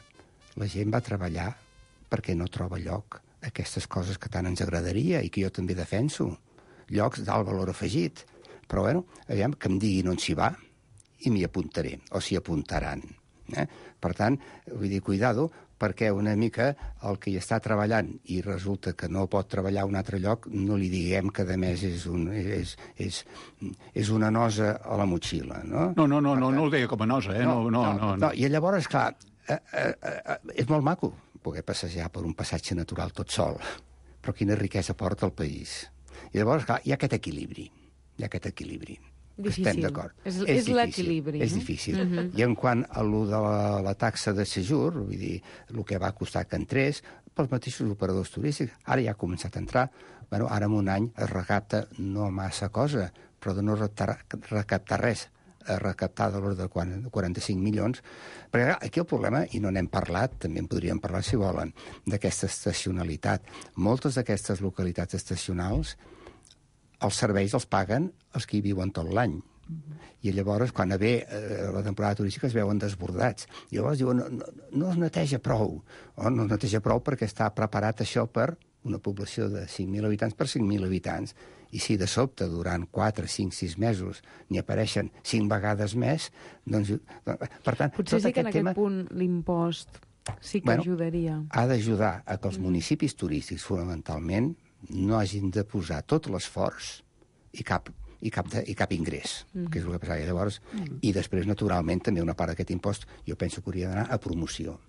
la gent va treballar perquè no troba lloc aquestes coses que tant ens agradaria i que jo també defenso. Llocs d'alt valor afegit. Però, bueno, aviam, que em diguin on s'hi va i m'hi apuntaré, o s'hi apuntaran. Eh? Per tant, vull dir, cuidado, perquè una mica el que hi està treballant i resulta que no pot treballar a un altre lloc, no li diguem que, a més, és, un, és, és, és una nosa a la motxilla, no? No, no, no, no, no ho deia com a nosa, eh? No, no, no, no, no. I llavors, clar, eh, eh, eh, és molt maco poder passejar per un passatge natural tot sol, però quina riquesa porta al país. I llavors, clar, hi ha aquest equilibri, hi ha aquest equilibri. Difícil. Estem d'acord. És, és, és l'equilibri. És difícil. Uh -huh. I en quant a lo de la, la taxa de sejur, vull dir, el que va costar que entrés, pels mateixos operadors turístics, ara ja ha començat a entrar. Bueno, ara en un any es recapta no massa cosa, però de no recaptar, recaptar res, a recaptar de l'ordre de quaranta-cinc milions, perquè aquí el problema, i no n'hem parlat, també en podríem parlar si volen, d'aquesta estacionalitat. Moltes d'aquestes localitats estacionals, els serveis els paguen els que hi viuen tot l'any. I llavors, quan ve eh, la temporada turística, es veuen desbordats. I llavors diuen, no, no, no es neteja prou. O no es neteja prou perquè està preparat això per una població de cinc mil habitants per cinc mil habitants. I si de sobte, durant quatre, cinc, sis mesos, n'hi apareixen cinc vegades més, doncs... Per tant, potser tot sí que en aquest aquest tema... punt l'impost sí que bueno, ajudaria. Ha d'ajudar a que els municipis turístics, fonamentalment, no hagin de posar tot l'esforç i cap, i cap, de, i cap ingrés, mm. que és el que passava llavors. Mm. I després, naturalment, també una part d'aquest impost jo penso que hauria d'anar a promoció.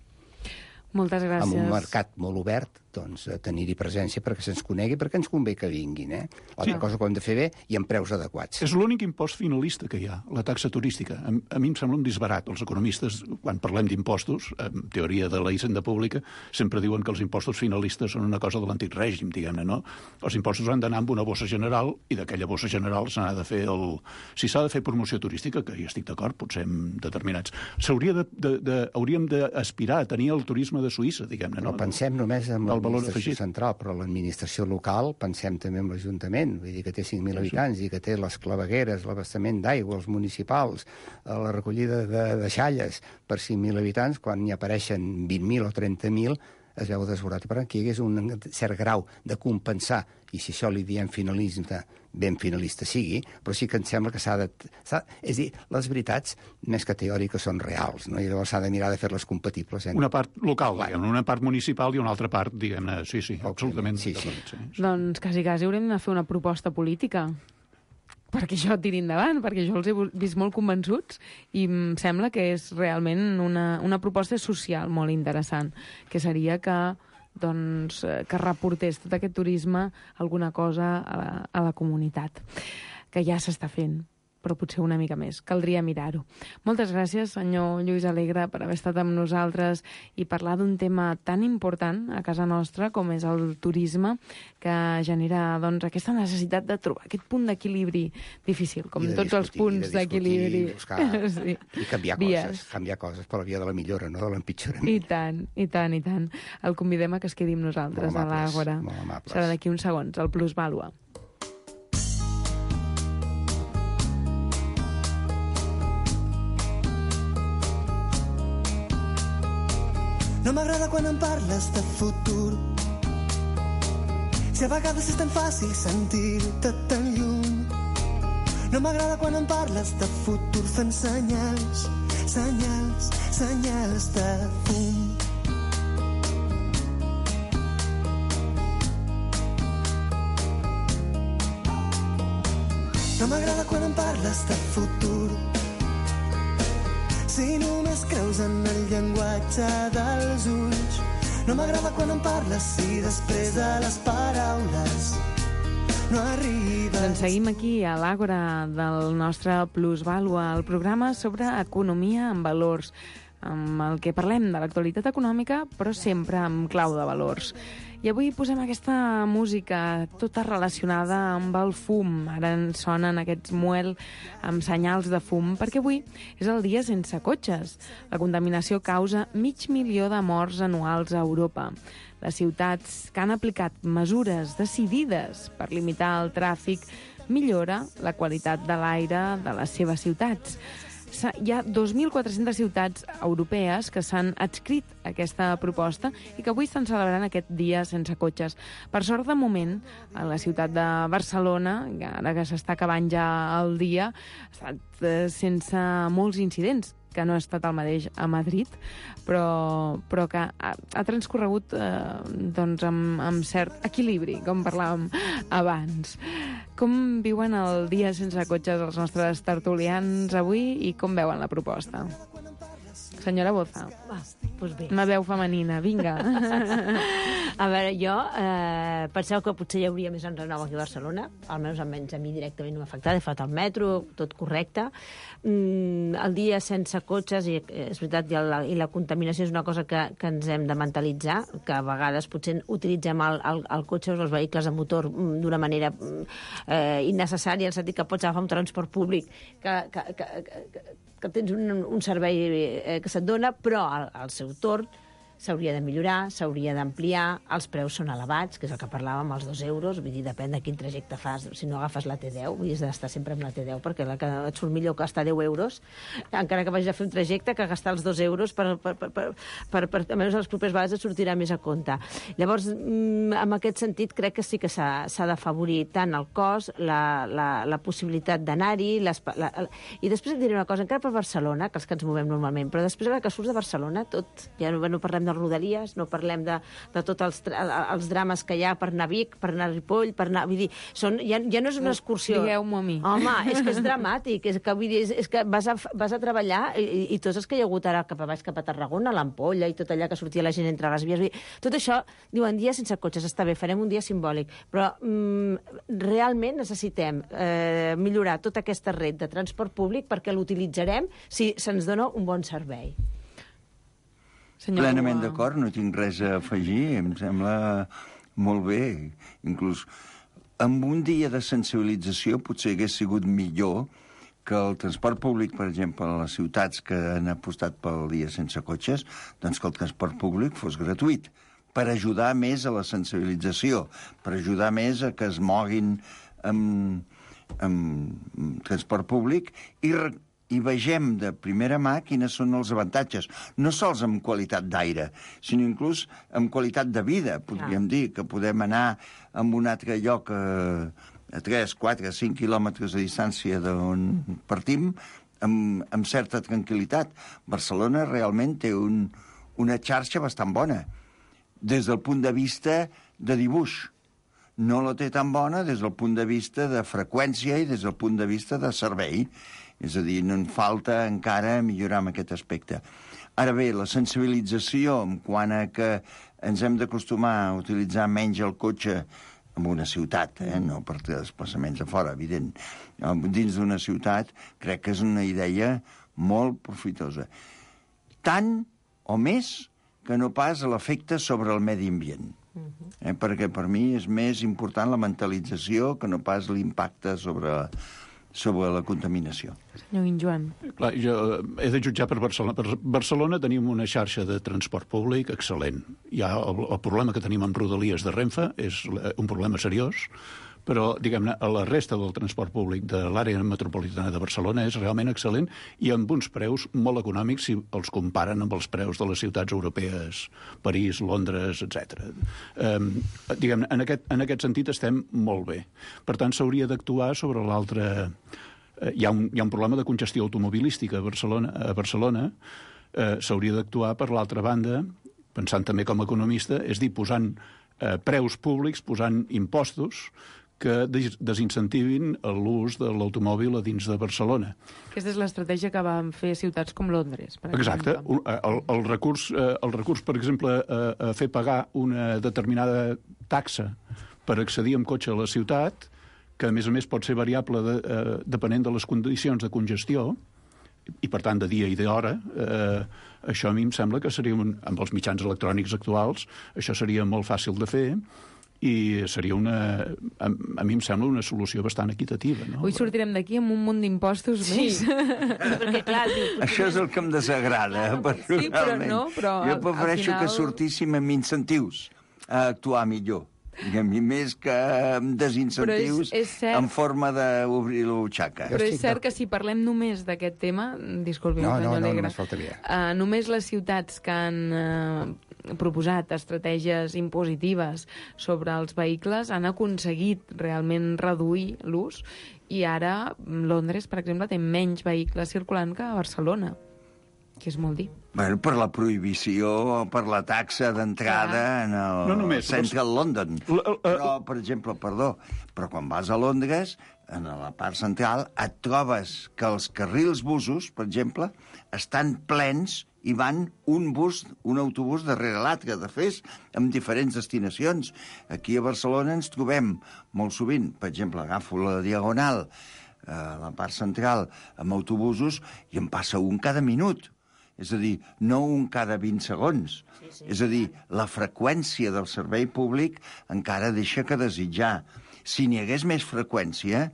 Moltes gràcies. Amb un mercat molt obert, doncs, a tenir-hi presència perquè se'ns conegui, perquè ens convé que vinguin, eh? L'altra sí. cosa que ho hem de fer bé i amb preus adequats. És l'únic impost finalista que hi ha, la taxa turística. A, a mi em sembla un disbarat. Els economistes, quan parlem d'impostos, en teoria de la hisenda pública, sempre diuen que els impostos finalistes són una cosa de l'antic règim, diguem-ne, no? Els impostos han d'anar amb una bossa general i d'aquella bossa general se n'ha de fer el... Si s'ha de fer promoció turística, que hi estic d'acord, potser en determinats, s'hauria de, de, de, hauríem d'aspirar a tenir el turisme de Suïssa, diguem-ne. No, no pensem només en l'administració central, però l'administració local, pensem també en l'Ajuntament, vull dir que té cinc mil habitants i que té les clavegueres, l'abastament d'aigua, els municipals, la recollida de, de xalles per cinc mil habitants, quan n'hi apareixen vint mil o trenta mil, es veu desbordat. I per tant, que hi hagués un cert grau de compensar, i si això li diem finalisme, ben finalista sigui, però sí que em sembla que s'ha de... És a dir, les veritats, més que teòriques, són reals, no? I llavors s'ha de mirar de fer-les compatibles. Eh? Una part local, diguem, una part municipal i una altra part, diguem-ne, sí, sí, absolutament. Sí, sí. sí. Doncs quasi, quasi haurem de fer una proposta política perquè això tiri endavant, perquè jo els he vist molt convençuts i em sembla que és realment una, una proposta social molt interessant, que seria que doncs, que reportés tot aquest turisme alguna cosa a la, a la comunitat, que ja s'està fent, però potser una mica més. Caldria mirar-ho. Moltes gràcies, senyor Lluís Alegre, per haver estat amb nosaltres i parlar d'un tema tan important a casa nostra com és el turisme, que genera doncs, aquesta necessitat de trobar aquest punt d'equilibri difícil, com tots els punts d'equilibri. Sí. I canviar Vies. coses, canviar coses per la via de la millora, no de l'empitjorament. I tant, i tant, i tant. El convidem a que es quedi amb nosaltres a l'Àgora. Serà d'aquí uns segons, el Plusvàlua. No m'agrada quan em parles de futur. Si a vegades és tan fàcil sentir-te tan lluny. No m'agrada quan em parles de futur fent senyals, senyals, senyals de fum. No m'agrada quan em parles de futur. Si només creus en el llenguatge dels ulls. No m'agrada quan em parles si després de les paraules no arribes. Doncs seguim aquí a l'Àgora del nostre Plusvàlua, el programa sobre economia en valors, amb el que parlem de l'actualitat econòmica, però sempre amb clau de valors. I avui posem aquesta música tota relacionada amb el fum. Ara ens sonen aquests muel amb senyals de fum, perquè avui és el dia sense cotxes. La contaminació causa mig milió de morts anuals a Europa. Les ciutats que han aplicat mesures decidides per limitar el tràfic millora la qualitat de l'aire de les seves ciutats. Hi ha dos mil quatre-centes ciutats europees que s'han adscrit a aquesta proposta i que avui estan celebrant aquest dia sense cotxes. Per sort, de moment, a la ciutat de Barcelona, ara que s'està acabant ja el dia, ha estat sense molts incidents, que no ha estat el mateix a Madrid, però, però que ha, ha transcorregut eh, doncs amb, amb cert equilibri, com parlàvem abans. Com viuen el dia sense cotxes els nostres tertulians avui i com veuen la proposta? Senyora Boza. Ah, doncs bé. Una veu femenina, vinga. A veure, jo eh, penseu que potser hi hauria més enrenou aquí a Barcelona, almenys almenys a mi directament no m'ha afectat, he fet el metro, tot correcte. Mm, el dia sense cotxes, i és veritat, i la, i la contaminació és una cosa que, que ens hem de mentalitzar, que a vegades potser utilitzem el, el, el cotxe o els vehicles a motor d'una manera eh, innecessària, en el sentit que pots agafar un transport públic que, que, que, que, que tens un, un servei eh, que se't dona, però al, al seu torn s'hauria de millorar, s'hauria d'ampliar, els preus són elevats, que és el que parlàvem, els dos euros, vull dir, depèn de quin trajecte fas, si no agafes la T deu, vull dir, has d'estar sempre amb la T deu, perquè la que et surt millor gastar deu euros, encara que vagis a fer un trajecte, que gastar els dos euros, per, per, per, per, per, per almenys les properes vegades et sortirà més a compte. Llavors, en aquest sentit, crec que sí que s'ha d'afavorir tant el cost, la, la, la possibilitat d'anar-hi, i després et diré una cosa, encara per Barcelona, que els que ens movem normalment, però després que surts de Barcelona, tot, ja no, no parlem de Rodalies, no parlem de, de tots els, els drames que hi ha per anar a Vic, per anar a Ripoll, per anar... Vull dir, són, ja, ja no és una excursió. Digueu-m'ho a mi. Home, és que és dramàtic, és que, vull dir, és, és que vas a, vas a treballar i, i tots els que hi ha hagut ara cap a baix, cap a Tarragona, l'Ampolla i tot allà que sortia la gent entre les vies, vull dir, tot això, diuen, dia sense cotxes, està bé, farem un dia simbòlic, però mm, realment necessitem eh, millorar tota aquesta red de transport públic perquè l'utilitzarem si se'ns dona un bon servei. Senyor Plenament Boa. d'acord, no tinc res a afegir, em sembla molt bé. Inclús amb un dia de sensibilització potser hagués sigut millor que el transport públic, per exemple, a les ciutats que han apostat pel dia sense cotxes, doncs que el transport públic fos gratuït, per ajudar més a la sensibilització, per ajudar més a que es moguin amb, amb transport públic i i vegem de primera mà quines són els avantatges, no sols amb qualitat d'aire, sinó inclús amb qualitat de vida, podríem dir, que podem anar a un altre lloc a, a tres, quatre, cinc quilòmetres de distància d'on partim, amb, amb certa tranquil·litat. Barcelona realment té un, una xarxa bastant bona, des del punt de vista de dibuix. No la té tan bona des del punt de vista de freqüència i des del punt de vista de servei. És a dir, no en falta encara millorar en aquest aspecte. Ara bé, la sensibilització en quant a que ens hem d'acostumar a utilitzar menys el cotxe en una ciutat, eh? No per desplaçaments a fora, evident. Dins d'una ciutat crec que és una idea molt profitosa. Tant o més que no pas l'efecte sobre el medi ambient. Eh? Perquè per mi és més important la mentalització que no pas l'impacte sobre... sobre la contaminació. Senyor Guinjoan. Clar, jo he de jutjar per Barcelona. Per Barcelona tenim una xarxa de transport públic excel·lent. Ja el, el problema que tenim amb Rodalies de Renfe és un problema seriós, però, diguem-ne, a la resta del transport públic de l'àrea metropolitana de Barcelona és realment excel·lent i amb uns preus molt econòmics si els comparen amb els preus de les ciutats europees, París, Londres, etcètera. Um, diguem-ne, en aquest, en aquest sentit estem molt bé. Per tant, s'hauria d'actuar sobre l'altre... Uh, hi, ha un, hi ha un problema de congestió automobilística a Barcelona, a Barcelona. Uh, s'hauria d'actuar per l'altra banda, pensant també com a economista, és dir, posant uh, preus públics, posant impostos que desincentivin l'ús de l'automòbil a dins de Barcelona. Aquesta és l'estratègia que van fer ciutats com Londres, per Exacte. exemple. El, el, recurs, el recurs, per exemple, a, a fer pagar una determinada taxa per accedir amb cotxe a la ciutat, que a més a més pot ser variable de, eh, depenent de les condicions de congestió, i per tant de dia i d'hora, eh, això a mi em sembla que seria, un, amb els mitjans electrònics actuals, això seria molt fàcil de fer, i seria una, a, a mi em sembla una solució bastant equitativa. No? Avui sortirem d'aquí amb un munt d'impostos sí. més. Perquè, clar, diu, això és el que em desagrada, personalment. Sí, però no, però jo prefereixo final... que sortíssim amb incentius a actuar millor. I a mi més que amb desincentius és, és cert... en forma d'obrir la butxaca. Però és cert que si parlem només d'aquest tema, disculpi, no, senyor no, no, Alegre, només faltaria. Uh, només les ciutats que han uh, proposat estratègies impositives sobre els vehicles han aconseguit realment reduir l'ús, i ara Londres, per exemple, té menys vehicles circulant que a Barcelona, que és molt dir. Bueno, per la prohibició, per la taxa d'entrada en el no només, Central però... London. L -l però, per exemple, perdó, però quan vas a Londres, en la part central, et trobes que els carrils busos, per exemple, estan plens i van un bus, un autobús darrere l'altre, de fet, amb diferents destinacions. Aquí a Barcelona ens trobem molt sovint, per exemple, agafo la Diagonal, a la part central, amb autobusos, i em passa un cada minut. És a dir, no un cada vint segons. Sí, sí. És a dir, la freqüència del servei públic encara deixa que desitjar. Si n'hi hagués més freqüència,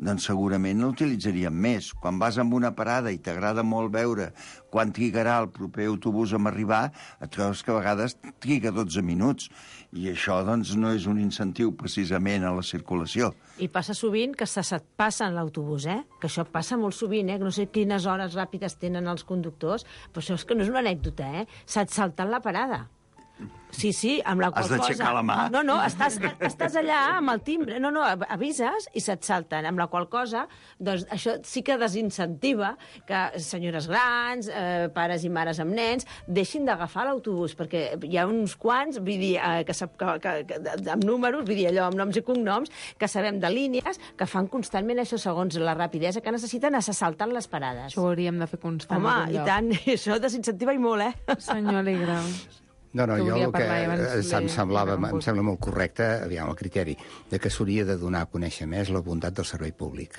doncs segurament l'utilitzaríem més. Quan vas amb una parada i t'agrada molt veure quan trigarà el proper autobús a arribar, et trobes que a vegades triga dotze minuts. I això, doncs, no és un incentiu precisament a la circulació. I passa sovint que se se't passen l'autobús, eh? Que això passa molt sovint, eh? Que no sé quines hores ràpides tenen els conductors, però això és que no és una anècdota, eh? Se't salten la parada. Sí, sí, amb la qual Has d'aixecar cosa... la mà? No, no, estàs, estàs allà amb el timbre, no, no, avises i se't salten, amb la qual cosa, doncs això sí que desincentiva que senyores grans, eh, pares i mares amb nens, deixin d'agafar l'autobús, perquè hi ha uns quants, vull dir, eh, que, que, que, que, amb números, vull dir, allò, amb noms i cognoms, que sabem de línies, que fan constantment això segons la rapidesa que necessiten, a se saltant les parades. Això ho hauríem de fer constant. Home, i tant, això desincentiva i molt, eh? Senyor Alegre. No, no, que jo el que abans, em, semblava, em sembla molt correcte, aviam, el criteri, de que s'hauria de donar a conèixer més la bondat del servei públic.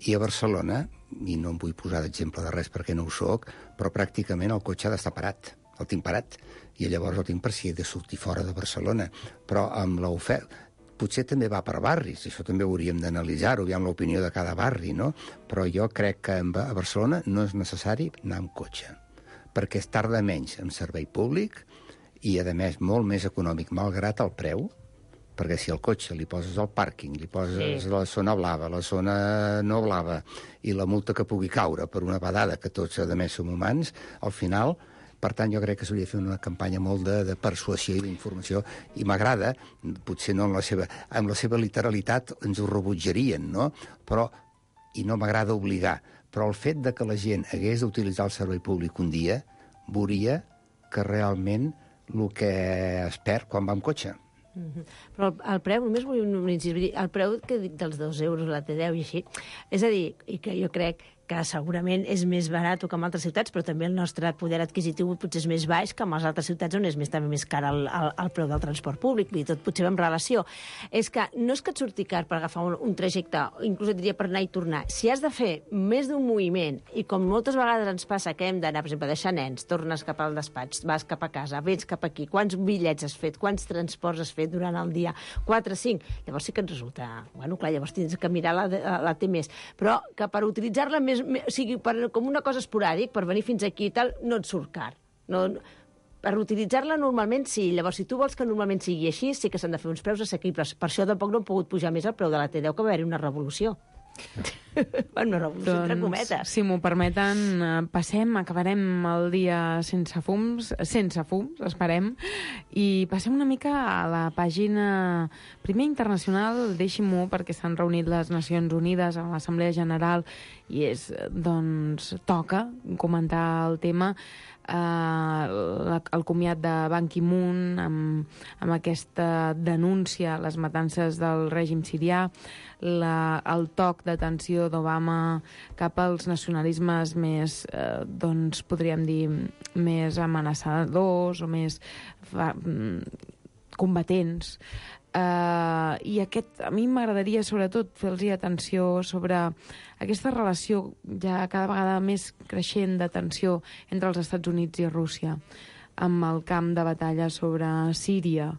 I a Barcelona, i no em vull posar d'exemple de res perquè no ho soc, però pràcticament el cotxe ha d'estar parat. El tinc parat. I llavors el tinc per si he de sortir fora de Barcelona. Però amb l'oferta... Potser també va per barris, això també ho hauríem d'analitzar-ho, aviam l'opinió de cada barri, no? Però jo crec que a Barcelona no és necessari anar amb cotxe, perquè es tarda menys en servei públic i, a més, molt més econòmic, malgrat el preu, perquè si al cotxe li poses el pàrquing, li poses sí. la zona blava, la zona no blava, i la multa que pugui caure per una badada, que tots, a més, som humans, al final... Per tant, jo crec que s'hauria de fer una campanya molt de, de persuasió i d'informació, i m'agrada, potser no en la seva, amb la seva literalitat ens ho rebutjarien, no? Però, i no m'agrada obligar, però el fet de que la gent hagués d'utilitzar el servei públic un dia, veuria que realment el que es perd quan va amb cotxe. Mm-hmm. Però el, el preu, només vull un incís, el preu que dic dels dos euros, la T deu i així, és a dir, i que jo crec que segurament és més barat que en altres ciutats, però també el nostre poder adquisitiu potser és més baix que en les altres ciutats on és més, també més car el, el, el preu del transport públic, i tot potser va en relació. És que no és que et surti car per agafar un, un trajecte, inclús et diria per anar i tornar. Si has de fer més d'un moviment, i com moltes vegades ens passa que hem d'anar, per exemple, deixar nens, tornes cap al despatx, vas cap a casa, vens cap aquí, quants bitllets has fet, quants transports has fet durant el dia, quatre, cinc, llavors sí que et resulta... Bueno, clar, llavors tens que mirar la, la, la T més. Però que per utilitzar-la més o sigui, per, com una cosa esporàdic, per venir fins aquí i tal, no et surt car. No, per utilitzar-la normalment sí. Llavors, si tu vols que normalment sigui així, sí que s'han de fer uns preus assequibles. Per això tampoc no han pogut pujar més el preu de la T deu, que va haver-hi una revolució. Bueno, una revolució doncs, entre cometes. Si m'ho permeten, passem, acabarem el dia sense fums, sense fums, esperem, i passem una mica a la pàgina primer internacional, deixi-m'ho, perquè s'han reunit les Nacions Unides a l'Assemblea General i és, doncs, toca comentar el tema. eh, el comiat de Ban Ki-moon amb, amb aquesta denúncia a les matances del règim sirià, la, el toc d'atenció d'Obama cap als nacionalismes més, eh, doncs podríem dir, més amenaçadors o més fa, combatents. Uh, i aquest, a mi m'agradaria sobretot fer-los atenció sobre aquesta relació ja cada vegada més creixent de tensió entre els Estats Units i Rússia, amb el camp de batalla sobre Síria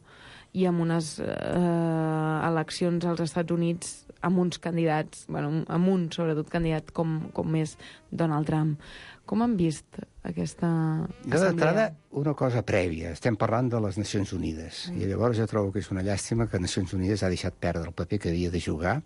i amb unes uh, eleccions als Estats Units amb uns candidats, bueno, amb un sobretot candidat com, com és Donald Trump. Com han vist aquesta assemblea? Jo d'entrada, una cosa prèvia. Estem parlant de les Nacions Unides. Mm. I llavors jo trobo que és una llàstima que Nacions Unides ha deixat perdre el paper que havia de jugar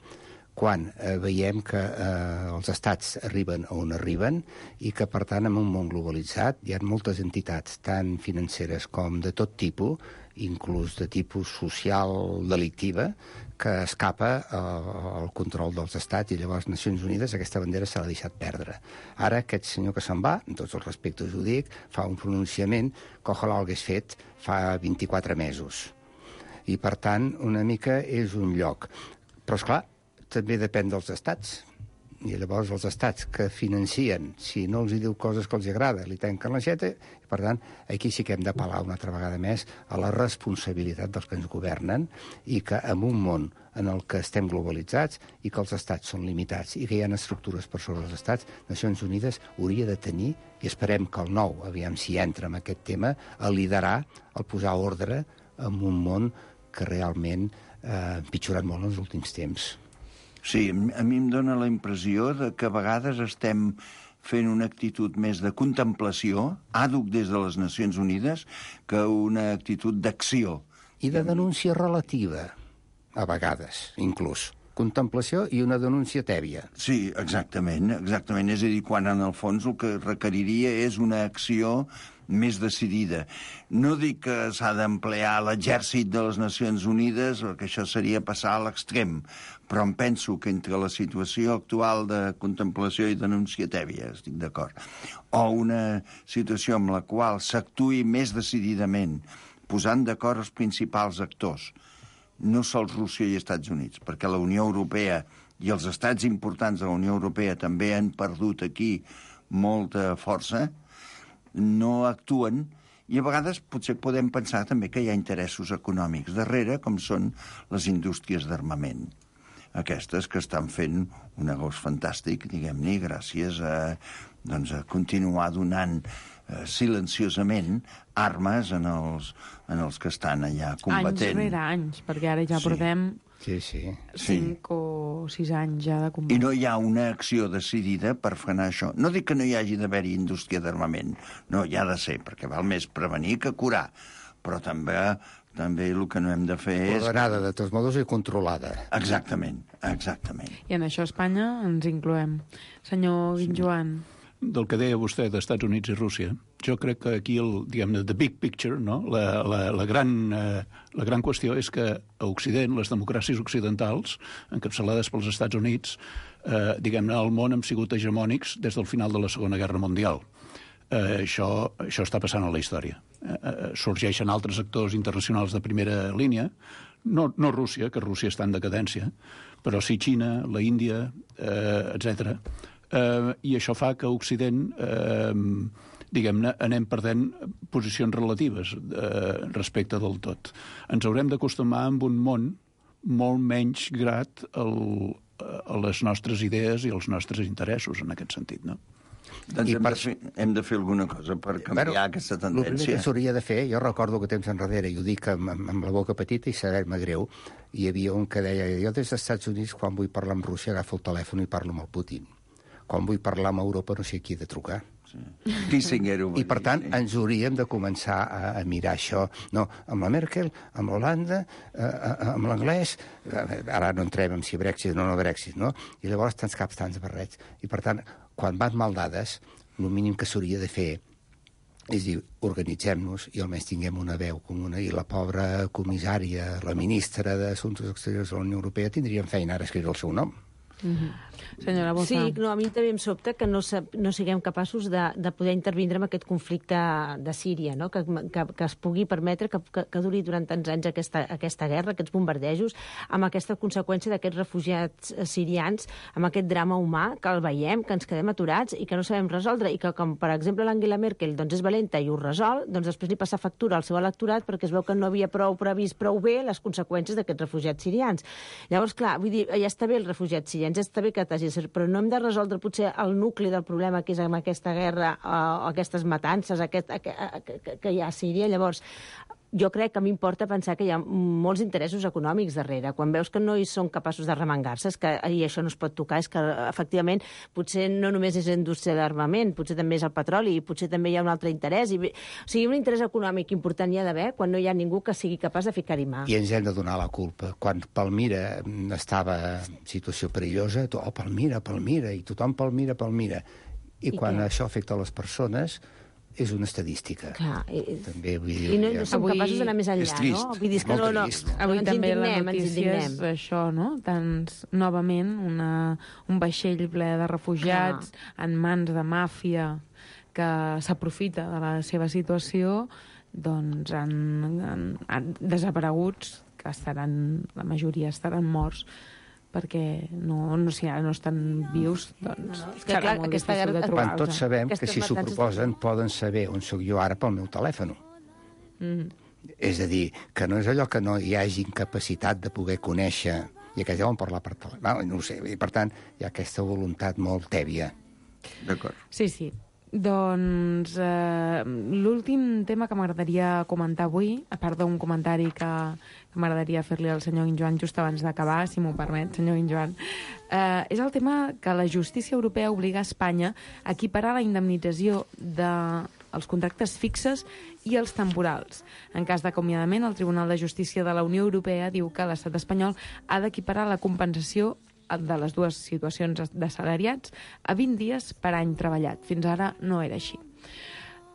quan eh, veiem que eh, els estats arriben on arriben i que, per tant, en un món globalitzat hi ha moltes entitats, tant financeres com de tot tipus, inclús de tipus social delictiva, que escapa eh, al control dels estats, i llavors Nacions Unides aquesta bandera se l'ha deixat perdre. Ara aquest senyor que se'n va, amb tots els respectes ho dic, fa un pronunciament que ojalà l'hagués fet fa vint-i-quatre mesos. I per tant, una mica és un lloc. Però esclar, també depèn dels estats. I llavors els estats que financien, si no els hi diu coses que els agrada, li tanquen l'aixeta, i per tant, aquí sí que hem d'apel·lar una altra vegada més a la responsabilitat dels que ens governen i que en un món en el que estem globalitzats i que els estats són limitats i que hi ha estructures per sobre els estats, Nacions Unides hauria de tenir, i esperem que el nou, aviam si entra en aquest tema, a liderar, el posar ordre en un món que realment eh, ha empitjorat molt en els últims temps. Sí, a mi em dóna la impressió de que a vegades estem fent una actitud més de contemplació, àdhuc des de les Nacions Unides, que una actitud d'acció. I de denúncia relativa, a vegades, inclús. Contemplació i una denúncia tèbia. Sí, exactament, exactament. És a dir, quan en el fons el que requeriria és una acció més decidida. No dic que s'ha d'emplear l'exèrcit de les Nacions Unides, perquè això seria passar a l'extrem, però em penso que entre la situació actual de contemplació i denúncia tèbia, estic d'acord, o una situació en la qual s'actuï més decididament, posant d'acord els principals actors, no sols Rússia i Estats Units, perquè la Unió Europea i els estats importants de la Unió Europea també han perdut aquí molta força, no actuen, i a vegades potser podem pensar també que hi ha interessos econòmics darrere, com són les indústries d'armament. Aquestes que estan fent un negoci fantàstic, diguem-ne, gràcies a, doncs, a continuar donant eh, silenciosament armes en els, en els que estan allà combatent. Anys rere anys, perquè ara ja sí. portem... Sí, sí. Cinc sí. o sis anys ja de combat. I no hi ha una acció decidida per frenar això. No dic que no hi hagi d'haver-hi indústria d'armament. No, hi ha de ser, perquè val més prevenir que curar. Però també, també el que no hem de fer és... Ordenada, de tots modos, i controlada. Exactament, exactament. I en això a Espanya ens incloem. Senyor Guinjoan... Del que deia vostè d'Estats Units i Rússia, jo crec que aquí, el, diguem-ne, the big picture, no? la, la, la, gran, eh, la gran qüestió és que a Occident, les democràcies occidentals, encapçalades pels Estats Units, eh, diguem-ne, al món han sigut hegemònics des del final de la Segona Guerra Mundial. Eh, això, això està passant a la història. Eh, eh, sorgeixen altres actors internacionals de primera línia, no, no Rússia, que Rússia està en decadència, però sí Xina, la Índia, eh, etcètera. Uh, i això fa que a Occident, uh, diguem-ne, anem perdent posicions relatives uh, respecte del tot. Ens haurem d'acostumar amb un món molt menys grat al, a les nostres idees i als nostres interessos, en aquest sentit, no? Doncs hem, per... de fer, hem de fer alguna cosa per canviar bueno, aquesta tendència. El primer que s'hauria de fer, jo recordo que temps enrere, i ho dic amb, amb la boca petita i saber-me greu, hi havia un que deia, jo des dels Estats Units, quan vull parlar amb Rússia, agafo el telèfon i parlo amb el Putin. Quan vull parlar amb Europa no sé qui he de trucar. Sí. Kissinger, I, per tant, sí. ens hauríem de començar a, a mirar això. No, amb la Merkel, amb l'Holanda, eh, amb l'anglès, eh, ara no entrem en si Brexit o no, no Brexit, no? I llavors tants caps, tants barrets. I, per tant, quan van mal dades, el mínim que s'hauria de fer és dir, organitzem-nos i almenys tinguem una veu comuna. I la pobra comissària, la ministra d'Assumptes Exteriors de la Unió Europea, tindrien feina ara a escriure el seu nom. Mm-hmm. Senyora Boza. Sí, no, a mi també em sobta que no, no siguem capaços de, de poder intervindre en aquest conflicte de Síria, no? que, que, que es pugui permetre que, que, que duri durant tants anys aquesta, aquesta guerra, aquests bombardejos, amb aquesta conseqüència d'aquests refugiats sirians, amb aquest drama humà que el veiem, que ens quedem aturats i que no sabem resoldre, i que, com per exemple l'Angela Merkel doncs és valenta i ho resol, doncs després li passa factura al seu electorat perquè es veu que no havia prou previst prou bé les conseqüències d'aquests refugiats sirians. Llavors, clar, vull dir, ja està bé els refugiats sirians, ja està bé que t'hagi, però no hem de resoldre potser el nucli del problema que és amb aquesta guerra o uh, aquestes matances aquest, que, que, que hi ha a Síria. Llavors, jo crec que m'importa pensar que hi ha molts interessos econòmics darrere. Quan veus que no hi són capaços de remengar-se, és que, i això no es pot tocar, és que, efectivament, potser no només és la indústria d'armament, potser també és el petroli, i potser també hi ha un altre interès. I, o sigui, un interès econòmic important hi ha d'haver quan no hi ha ningú que sigui capaç de ficar-hi mà. I ens hem de donar la culpa. Quan Palmira estava en situació perillosa, oh, Palmira, Palmira, i tothom Palmira, Palmira. I, I quan què? Això afecta a les persones, és una estadística. Clar, i, també, vull dir, i no, no som avui capaços d'anar més enllà, no? Vull dir, que no, no, no, avui ens també la indignem, ens notícia és indignem. això, no? Tants, novament, una, un vaixell ple de refugiats Clar. en mans de màfia que s'aprofita de la seva situació, doncs han, han, han desapareguts, que estaran, la majoria estaran morts, perquè no, no, si ara no estan vius, doncs no, no. Que, clar, aquesta guerra, quan tots sabem que si s'ho proposen poden saber on sóc jo ara pel meu telèfon. Mm. És a dir, que no és allò que no hi hagi incapacitat de poder conèixer i que deuen parlar per telèfon. No ho sé, i per tant hi ha aquesta voluntat molt tèbia. D'acord. Sí, sí. Doncs eh, l'últim tema que m'agradaria comentar avui, a part d'un comentari que, que m'agradaria fer-li al senyor Guinjoan just abans d'acabar, si m'ho permet, senyor Guinjoan, eh, és el tema que la justícia europea obliga a Espanya a equiparar la indemnització dels contractes fixes i els temporals. En cas d'acomiadament, el Tribunal de Justícia de la Unió Europea diu que l'estat espanyol ha d'equiparar la compensació de les dues situacions d'assalariats a vint dies per any treballat. Fins ara no era així.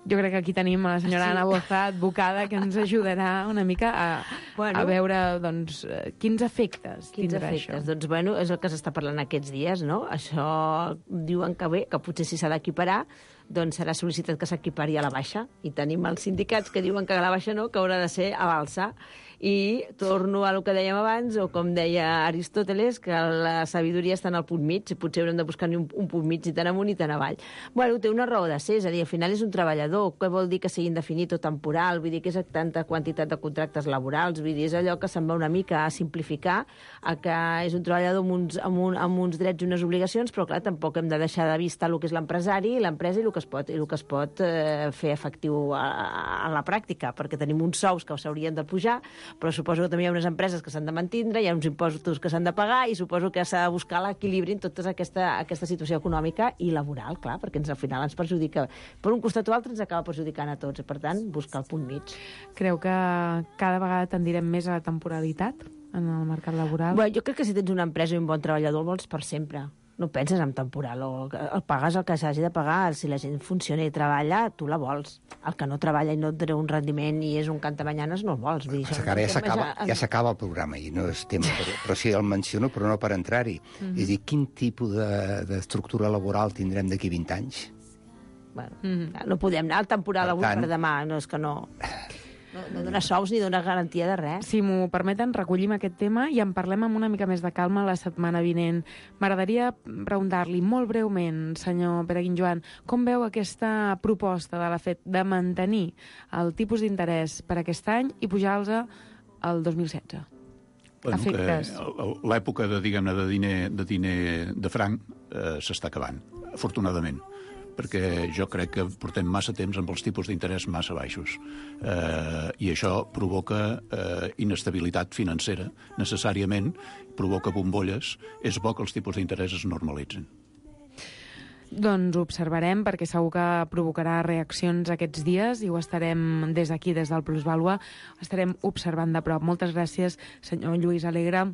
Jo crec que aquí tenim a la senyora sí. Ana Boza, advocada, que ens ajudarà una mica a, bueno, a veure doncs, quins efectes quins tindrà efectes? això. Doncs, bueno, és el que s'està parlant aquests dies, no? Això diuen que bé, que potser si s'ha d'equiparar, doncs serà sol·licitat que s'equipari a la baixa. I tenim els sindicats que diuen que a la baixa no, que haurà de ser a l'alça. I torno a el que dèiem abans, o com deia Aristòteles, que la sabidoria està en el punt mig, potser haurem de buscar un, un punt mig ni tan amunt ni tan avall. Bueno, té una raó de ser, és a dir, al final és un treballador, què vol dir que sigui indefinit o temporal, vull dir que és tanta quantitat de contractes laborals, vull dir, és allò que se'n va una mica a simplificar, a que és un treballador amb uns, amb, un, amb uns drets i unes obligacions, però clar, tampoc hem de deixar de vista el que és l'empresari, l'empresa i el que es pot, i el que es pot eh, fer efectiu a, a la pràctica, perquè tenim uns sous que s'haurien de pujar, però suposo que també hi ha unes empreses que s'han de mantindre, hi ha uns impostos que s'han de pagar i suposo que s'ha de buscar l'equilibri en tota aquesta, aquesta situació econòmica i laboral, clar, perquè ens, al final ens perjudica. Per un costat o altre ens acaba perjudicant a tots, i per tant, buscar el punt mig. Creu que cada vegada tendirem més a la temporalitat en el mercat laboral? Bé, jo crec que si tens una empresa i un bon treballador el vols per sempre. No penses en temporal, o el pagues el que s'hagi de pagar. Si la gent funciona i treballa, tu la vols. El que no treballa i no et treu un rendiment i és un cantamanyanes, no el vols. Vull dir, això ara ja s'acaba ja s'acaba el programa i no és tema, però, però sí el menciono, però no per entrar-hi. Mm-hmm. És a dir, quin tipus d'estructura laboral tindrem d'aquí vint anys? Bueno, mm-hmm. No podem anar al temporal avui per demà, no és que no... No, no dona sous ni dona garantia de res. Si m'ho permeten, recollim aquest tema i en parlem amb una mica més de calma la setmana vinent. M'agradaria preguntar-li molt breument, senyor Pere Guinjoan, com veu aquesta proposta de la FED de mantenir el tipus d'interès per aquest any i pujar-los al dos mil setze? Bueno, efectes. L'època de, diguem-ne, de diner, de diner de franc eh, s'està acabant, afortunadament, perquè jo crec que portem massa temps amb els tipus d'interès massa baixos. Eh, I això provoca eh, inestabilitat financera, necessàriament, provoca bombolles. És bo que els tipus d'interès es normalitzen. Doncs ho observarem, perquè segur que provocarà reaccions aquests dies i ho estarem des d'aquí, des del Plusvàlua, estarem observant de prop. Moltes gràcies, senyor Lluís Alegre,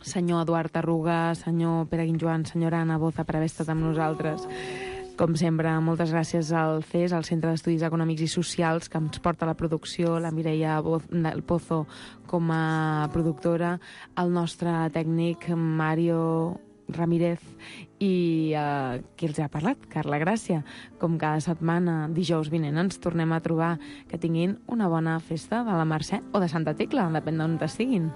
senyor Eduard Arruga, senyor Pere Guinjoan, senyora Ana Boza, per haver estat amb nosaltres. Com sempre, moltes gràcies al C E S, al Centre d'Estudis Econòmics i Socials, que ens porta la producció, la Mireia Pozo com a productora, el nostre tècnic Mario Ramírez i eh, qui els ha parlat, Carla Gràcia. Com cada setmana, dijous vinent, ens tornem a trobar. Que tinguin una bona festa de la Mercè o de Santa Tecla, depèn d'on estiguin.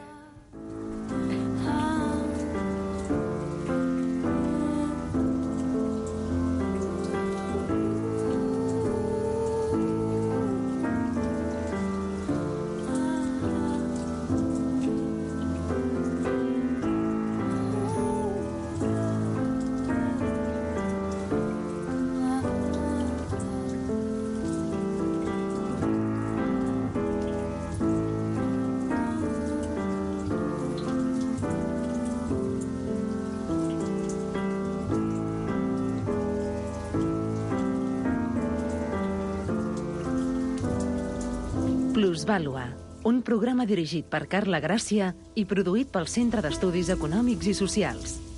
Plusvàlua, un programa dirigit per Carla Gràcia i produït pel Centre d'Estudis Econòmics i Socials.